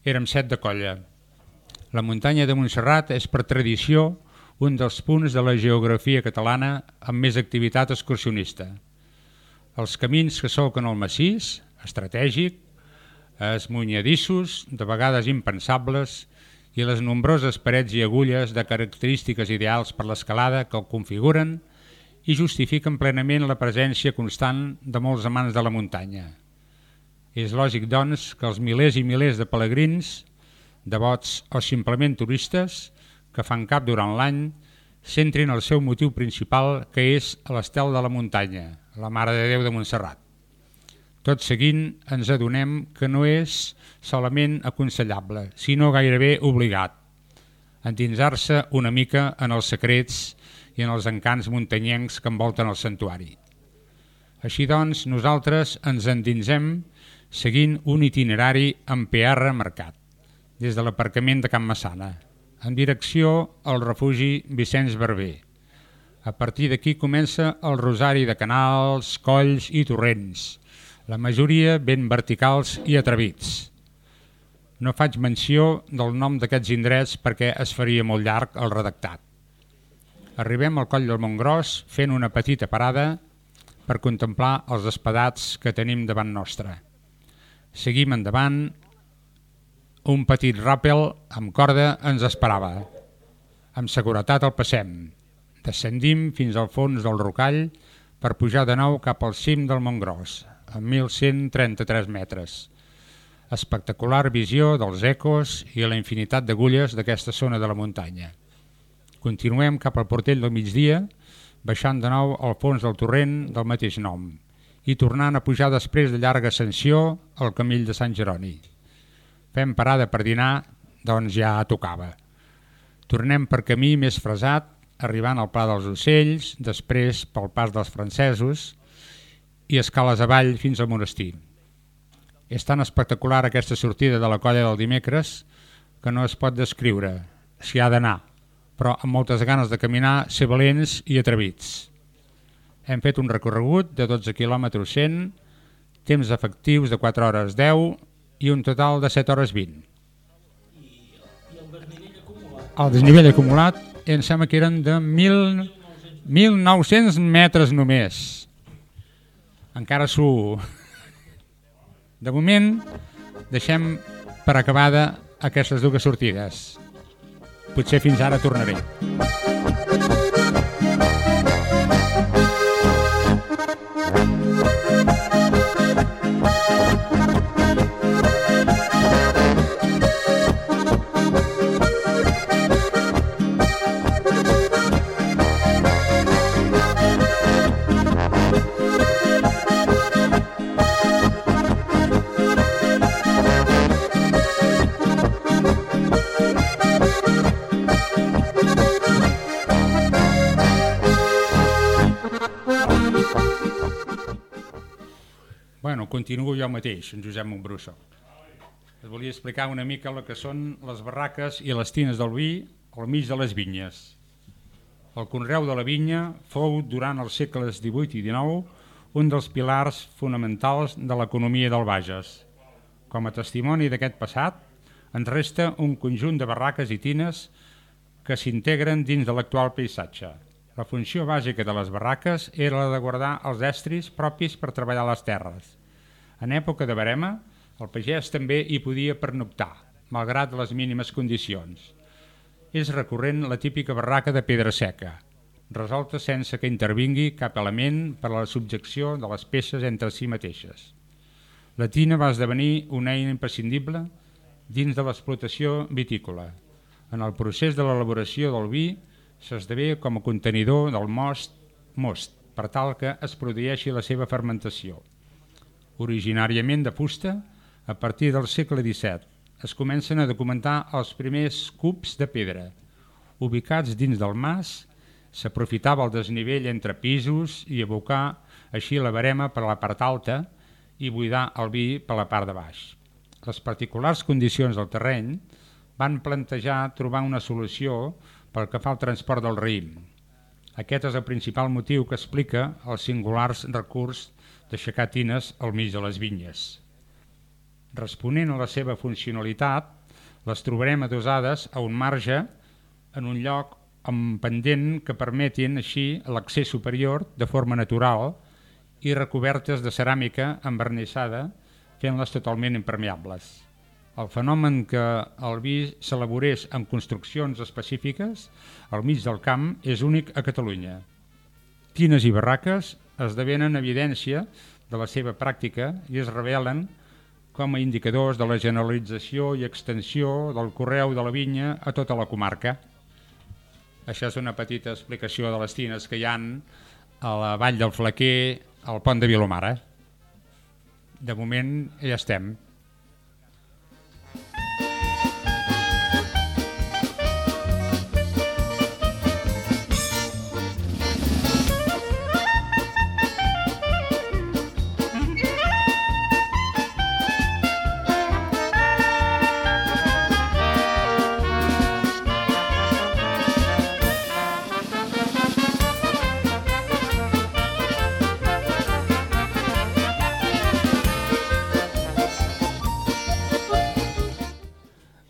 Érem set de colla. La muntanya de Montserrat és per tradició un dels punts de la geografia catalana amb més activitat excursionista. Els camins que solquen el massís, estratègic, esmunyadissos, de vegades impensables, i les nombroses parets i agulles de característiques ideals per l'escalada que el configuren i justifiquen plenament la presència constant de molts amants de la muntanya. És lògic, doncs, que els milers i milers de pelegrins, devots o simplement turistes que fan cap durant l'any centrin el seu motiu principal, que és l'estel de la muntanya, la Mare de Déu de Montserrat. Tot seguint ens adonem que no és solament aconsellable, sinó gairebé obligat, endinsar-se una mica en els secrets i en els encants muntanyencs que envolten el santuari. Així doncs, nosaltres ens endinsem seguint un itinerari amb P R marcat, des de l'aparcament de Can Massana, en direcció al refugi Vicenç Barber. A partir d'aquí comença el rosari de canals, colls i torrents, la majoria ben verticals i atrevits. No faig menció del nom d'aquests indrets perquè es faria molt llarg el redactat. Arribem al Coll del Montgròs fent una petita parada per contemplar els espadats que tenim davant nostre. Seguim endavant. Un petit ràpel amb corda ens esperava. Amb seguretat el passem. Descendim fins al fons del rocall per pujar de nou cap al cim del Montgròs, a mil cent trenta-tres metres. Espectacular visió dels ecos i la infinitat d'agulles d'aquesta zona de la muntanya. Continuem cap al Portell del Migdia, baixant de nou al fons del torrent del mateix nom i tornant a pujar després de llarga ascensió al Camí de Sant Jeroni. Fem parada per dinar, doncs ja tocava. Tornem per camí més fresat, arribant al Pla dels Ocells, després pel Pas dels Francesos i escales avall fins al monestir. És tan espectacular aquesta sortida de la colla del dimecres que no es pot descriure, s'hi ha d'anar, però amb moltes ganes de caminar, ser valents i atrevits. Hem fet un recorregut de dotze quilòmetres cent, temps efectius de quatre hores deu i un total de set hores vint. I el desnivell acumulat? El desnivell acumulat em sembla que eren de mil nou-cents metres només. Encara s'ho... De moment, deixem per acabada aquestes dues sortides. Potser fins ara tornaré. Bueno, continuo jo mateix, en Josep Montbrusso. Us volia explicar una mica el que són les barraques i les tines del vi al mig de les vinyes. El conreu de la vinya fou, durant els segles divuit i dinou, un dels pilars fonamentals de l'economia del Bages. Com a testimoni d'aquest passat, ens resta un conjunt de barraques i tines que s'integren dins de l'actual paisatge. La funció bàsica de les barraques era la de guardar els estris propis per treballar les terres. En època de verema, el pagès també hi podia pernoctar, malgrat les mínimes condicions. És recurrent la típica barraca de pedra seca, resolta sense que intervingui cap element per a la subjecció de les peces entre si mateixes. La tina va esdevenir una eina imprescindible dins de l'explotació vitícola. En el procés de l'elaboració del vi s'esdevé com a contenidor del most, most per tal que es produeixi la seva fermentació. Originàriament de fusta, a partir del segle disset es comencen a documentar els primers cups de pedra. Ubicats dins del mas, s'aprofitava el desnivell entre pisos i abocar així la verema per la part alta i buidar el vi per la part de baix. les particulars condicions del terreny van plantejar trobar una solució pel que fa al transport del raïm. Aquest és el principal motiu que explica els singulars recurs d'aixecar tines al mig de les vinyes. Responent a la seva funcionalitat, les trobarem adossades a un marge en un lloc amb pendent que permetin així l'accés superior de forma natural i recobertes de ceràmica envernissada, fent-les totalment impermeables. El fenomen que el vi s'elaborés en construccions específiques al mig del camp és únic a Catalunya. Tines i barraques esdevenen evidència de la seva pràctica i es revelen com a indicadors de la generalització i extensió del conreu de la vinya a tota la comarca. Això és una petita explicació de les tines que hi ha a la Vall del Flaquer, al Pont de Vilomara. De moment ja estem.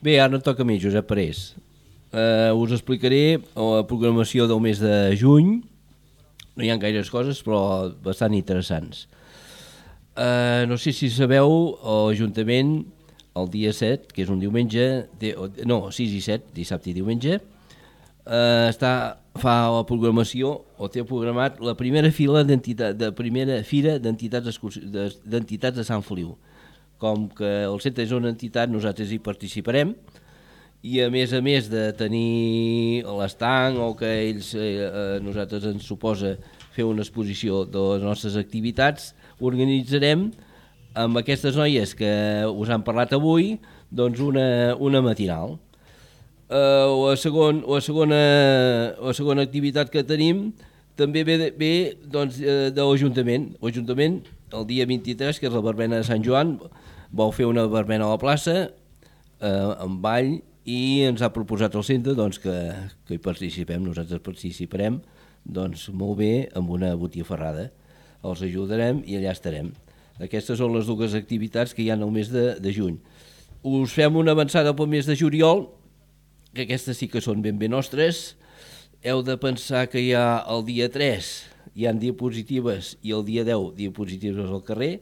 Bé, ara em toca a mi, Josep Parés. Uh, us explicaré la programació del mes de juny. No hi ha gaires coses, però bastant interessants. Uh, no sé si sabeu, l'Ajuntament, el dia set, que és un diumenge, té, no, sis i set, dissabte i diumenge, uh, està, fa la programació, o té programat la primera fila d'entitat, de primera fira d'entitats d'entitats de Sant Feliu. Com que el centre és una entitat, nosaltres hi participarem i a més a més de tenir l'estanc o que ells, eh, a nosaltres ens suposa fer una exposició de les nostres activitats, organitzarem amb aquestes noies que us han parlat avui doncs una, una matinal. Eh, la, segon, la, segona, la segona activitat que tenim també ve, de, ve doncs, de l'Ajuntament. L'Ajuntament, el dia vint-i-tres, que és la verbena de Sant Joan, vau fer una verbena a la plaça, eh, amb ball, i ens ha proposat el centre doncs, que, que hi participem. Nosaltres participarem doncs, molt bé amb una botifarrada. Els ajudarem i allà estarem. Aquestes són les dues activitats que hi ha el mes de, de juny. Us fem una avançada pel mes de juliol, que aquestes sí que són ben bé nostres. Heu de pensar que hi ha el dia tres, hi ha diapositives, i el dia deu diapositives al carrer,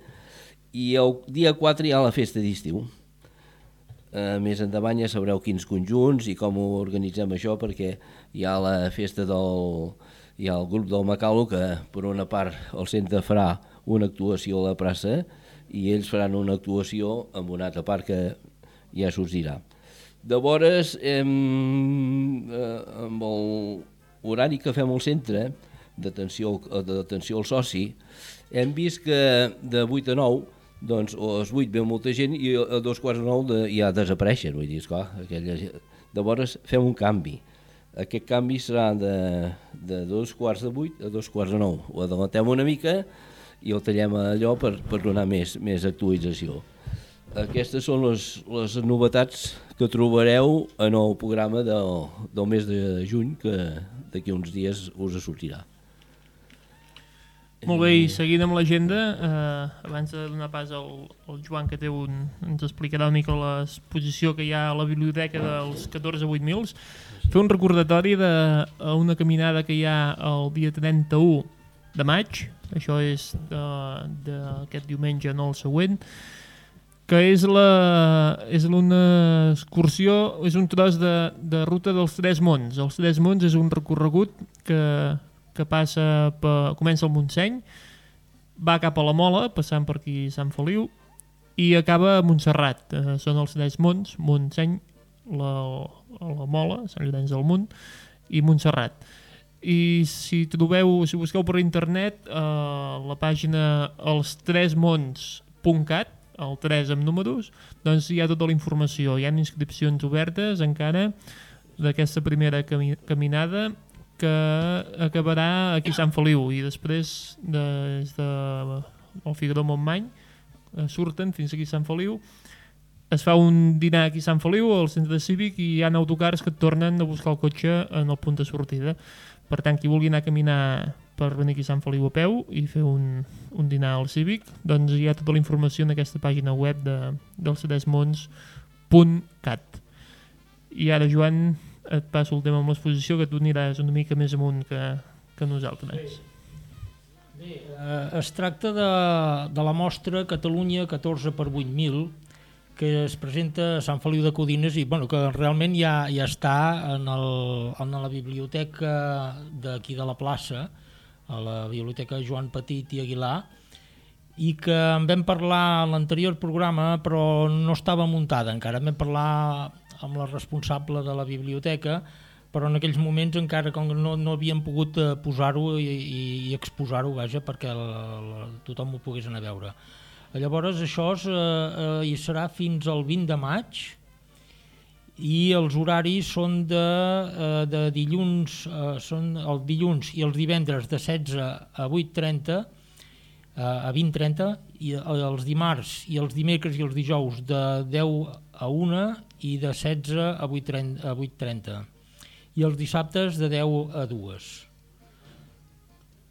i el dia quatre hi ha la festa d'estiu. Uh, més endavant ja sabreu quins conjunts i com ho organitzem això, perquè hi ha la festa del... hi ha el grup del Macalo, que per una part el centre farà una actuació a la plaça i ells faran una actuació en una altra part que ja s'us dirà. Llavors, hem, eh, amb l'horari que fem al centre d'atenció al soci, hem vist que de vuit a nou, doncs a les vuit ve molta gent i a dos quarts de nou de, ja desapareixen, vull dir, esclar, aquella... Llavors fem un canvi. Aquest canvi serà de, de dos quarts de vuit a dos quarts de nou. Ho adelatem una mica i el tallem allò per, per donar més, més actualització. Aquestes són les, les novetats que trobareu en el programa del, del mes de juny, que d'aquí uns dies us sortirà. Molt bé, i seguint amb l'agenda, eh, abans de donar pas al, al Joan, que té un, ens explicarà una mica l'exposició que hi ha a la biblioteca dels catorze vuit mil, fer un recordatori d'una caminada que hi ha el dia trenta-u de maig, això és d'aquest diumenge, no el següent, que és, la, és una excursió, és un tros de, de ruta dels Tres Monts. Els Tres Monts és un recorregut que... que passa per, comença al Montseny, va cap a la Mola, passant per aquí Sant Feliu, i acaba a Montserrat. Eh, són els tres monts, Montseny, la, la Mola, Sant Llorenç del Munt, i Montserrat. I si trobeu, si busqueu per internet, eh, la pàgina els tres monts punt cat, el tres amb números, doncs hi ha tota la informació. Hi ha inscripcions obertes encara d'aquesta primera cami caminada, que acabarà aquí a Sant Feliu, i després des de el Figaró Montmany eh, surten fins aquí a Sant Feliu es fa un dinar aquí a Sant Feliu, al centre cívic, i hi ha autocars que et tornen a buscar el cotxe en el punt de sortida. Per tant, qui vulgui anar a caminar per venir aquí a Sant Feliu a peu i fer un, un dinar al cívic, doncs hi ha tota la informació en aquesta pàgina web de, del cedesmons punt cat. I ara, Joan, et passo el tema amb l'exposició, que tu aniràs una mica més amunt que, que nosaltres. Bé, eh, es tracta de, de la mostra Catalunya catorze per vuit mil, que es presenta a Sant Feliu de Codines i bueno, que realment ja, ja està en, el, en la biblioteca d'aquí de la plaça, a la biblioteca Joan Petit i Aguilar, i que en vam parlar en l'anterior programa però no estava muntada encara. Vam parlar amb la responsable de la biblioteca, però en aquells moments encara com no, no havíem pogut posar-ho i, i, i exposar-ho, vaja, perquè la, la, tothom ho pogués anar a veure. Llavors això és, eh, hi serà fins al vint de maig i els horaris són de, eh, de dilluns, eh, són el dilluns i els divendres de setze a vuit trenta, eh, a vint trenta, i els dimarts i els dimecres i els dijous de deu a una i de setze a vuit trenta, i els dissabtes de deu a dues.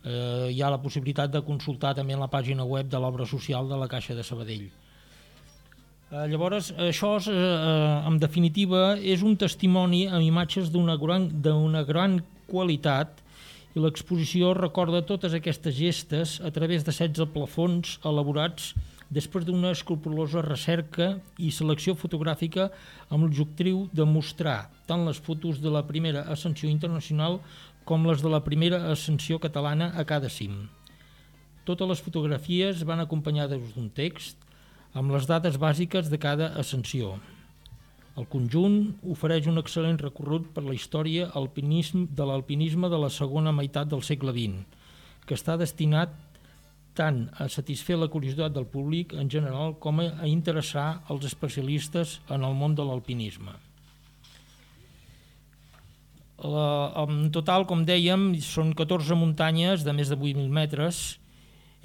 Eh, hi ha la possibilitat de consultar també en la pàgina web de l'obra social de la Caixa de Sabadell. Eh, llavors, això és, eh, en definitiva és un testimoni amb imatges d'una gran, d'una gran qualitat, i l'exposició recorda totes aquestes gestes a través de setze plafons elaborats després d'una escrupolosa recerca i selecció fotogràfica amb l'objectiu de mostrar tant les fotos de la primera ascensió internacional com les de la primera ascensió catalana a cada cim. Totes les fotografies van acompanyades d'un text amb les dades bàsiques de cada ascensió. El conjunt ofereix un excel·lent recorregut per la història alpinisme, de l'alpinisme de la segona meitat del segle vint, que està destinat tant a satisfer la curiositat del públic en general com a interessar els especialistes en el món de l'alpinisme. La, en total, com dèiem, són catorze muntanyes de més de vuit mil metres,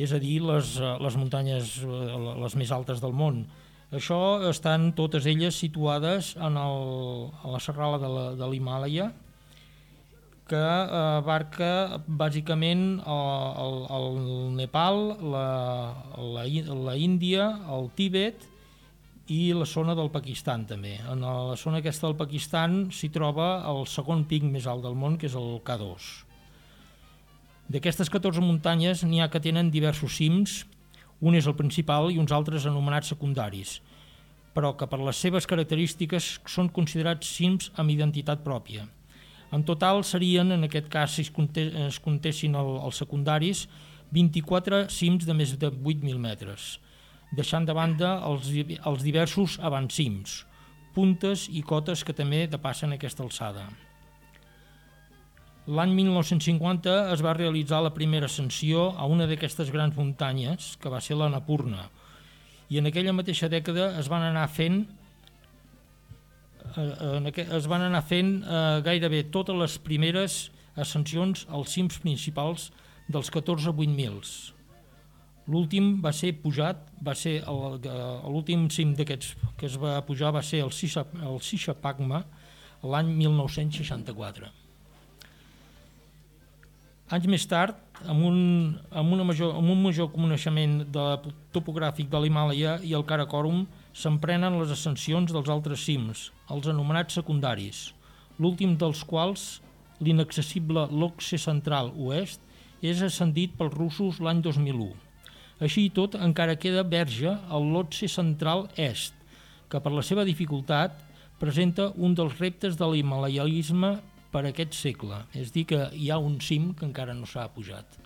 és a dir, les, les muntanyes les més altes del món. Això estan totes elles situades en el, a la serralada de l'Himàlaia, que abarca bàsicament el, el, el Nepal, la, la, la Índia, el Tíbet i la zona del Pakistan també. En la zona aquesta del Pakistan s'hi troba el segon pic més alt del món, que és el K dos. D'aquestes catorze muntanyes n'hi ha que tenen diversos cims, un és el principal i uns altres anomenats secundaris, però que per les seves característiques són considerats cims amb identitat pròpia. En total serien, en aquest cas, si es comptessin els secundaris, vint-i-quatre cims de més de vuit mil metres, deixant de banda els, els diversos avancims, puntes i cotes que també depassen aquesta alçada. L'any mil nou-cents cinquanta es va realitzar la primera ascensió a una d'aquestes grans muntanyes, que va ser l'Annapurna, i en aquella mateixa dècada es van anar fent es van anar fent eh, gairebé totes les primeres ascensions als cims principals dels catorze vuit mils. L'últim va ser pujat, va ser l'últim cim d'aquests que es va pujar va ser el Shishapangma l'any mil nou-cents seixanta-quatre. Anys més tard, amb un, amb, una major, amb un major coneixement de topogràfic de l'Himàlaia i el Karakorum, s'emprenen les ascensions dels altres cims, els anomenats secundaris, l'últim dels quals, l'inaccessible Lhotse Central Oest, és ascendit pels russos l'any dos mil u. Així i tot, encara queda verge el Lhotse Central Est, que per la seva dificultat presenta un dels reptes de l'himalaianisme per aquest segle, és dir que hi ha un cim que encara no s'ha pujat.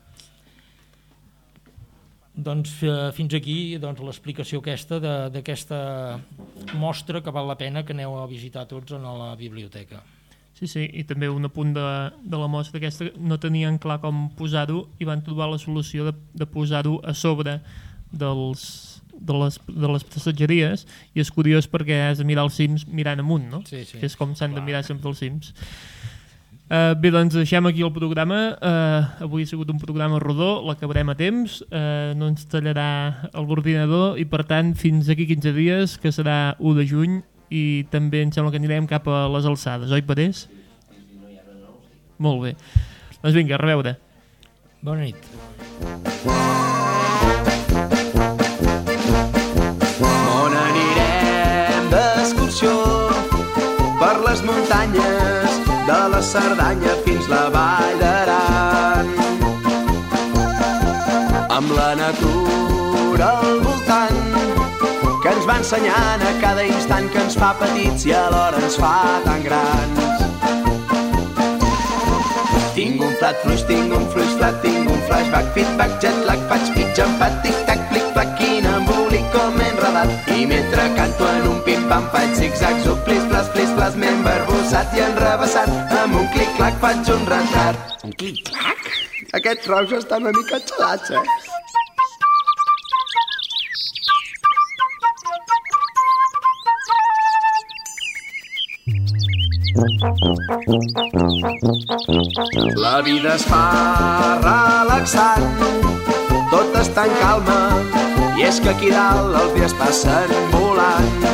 Doncs fins aquí doncs, l'explicació aquesta d'aquesta mostra que val la pena que aneu a visitar tots a la biblioteca. Sí, sí, i també un apunt de, de la mostra aquesta, no tenien clar com posar-ho i van trobar la solució de, de posar-ho a sobre dels, de, les, de les passatgeries, i és curiós perquè has de mirar els cims mirant amunt, no? Sí, sí. Que és com s'han de mirar sempre els cims. Uh, bé, doncs deixem aquí el programa. Uh, avui ha sigut un programa rodó, l'acabarem a temps, uh, no ens tallarà l'ordinador i per tant fins aquí quinze dies, que serà u de juny, i també em sembla que anirem cap a les alçades, oi Parés? Molt bé. Doncs vinga, a reveure. Bona nit. On anirem d'excursió per les muntanyes de la Cerdanya fins la Vall d'Aran, amb la natura al voltant que ens va ensenyant a cada instant, que ens fa petits i alhora ens fa tan grans. Tinc un plat fluix, tinc un fluix plat, tinc un flashback, feedback, jetlag, faig pitja, empat, tic-tac, plic-plac, quin embolic com enredat. I mentre canto en un pim-pam faig zig-zags, o plis, plas, plis, plas, m'he embarbussat i enrevessat. Amb un clic-clac faig un retrat. Un clic-clac? Aquests rocs estan una mica xalats, eh? La vida es fa relaxant, tot està en calma, i és que aquí dalt els dies passen volant.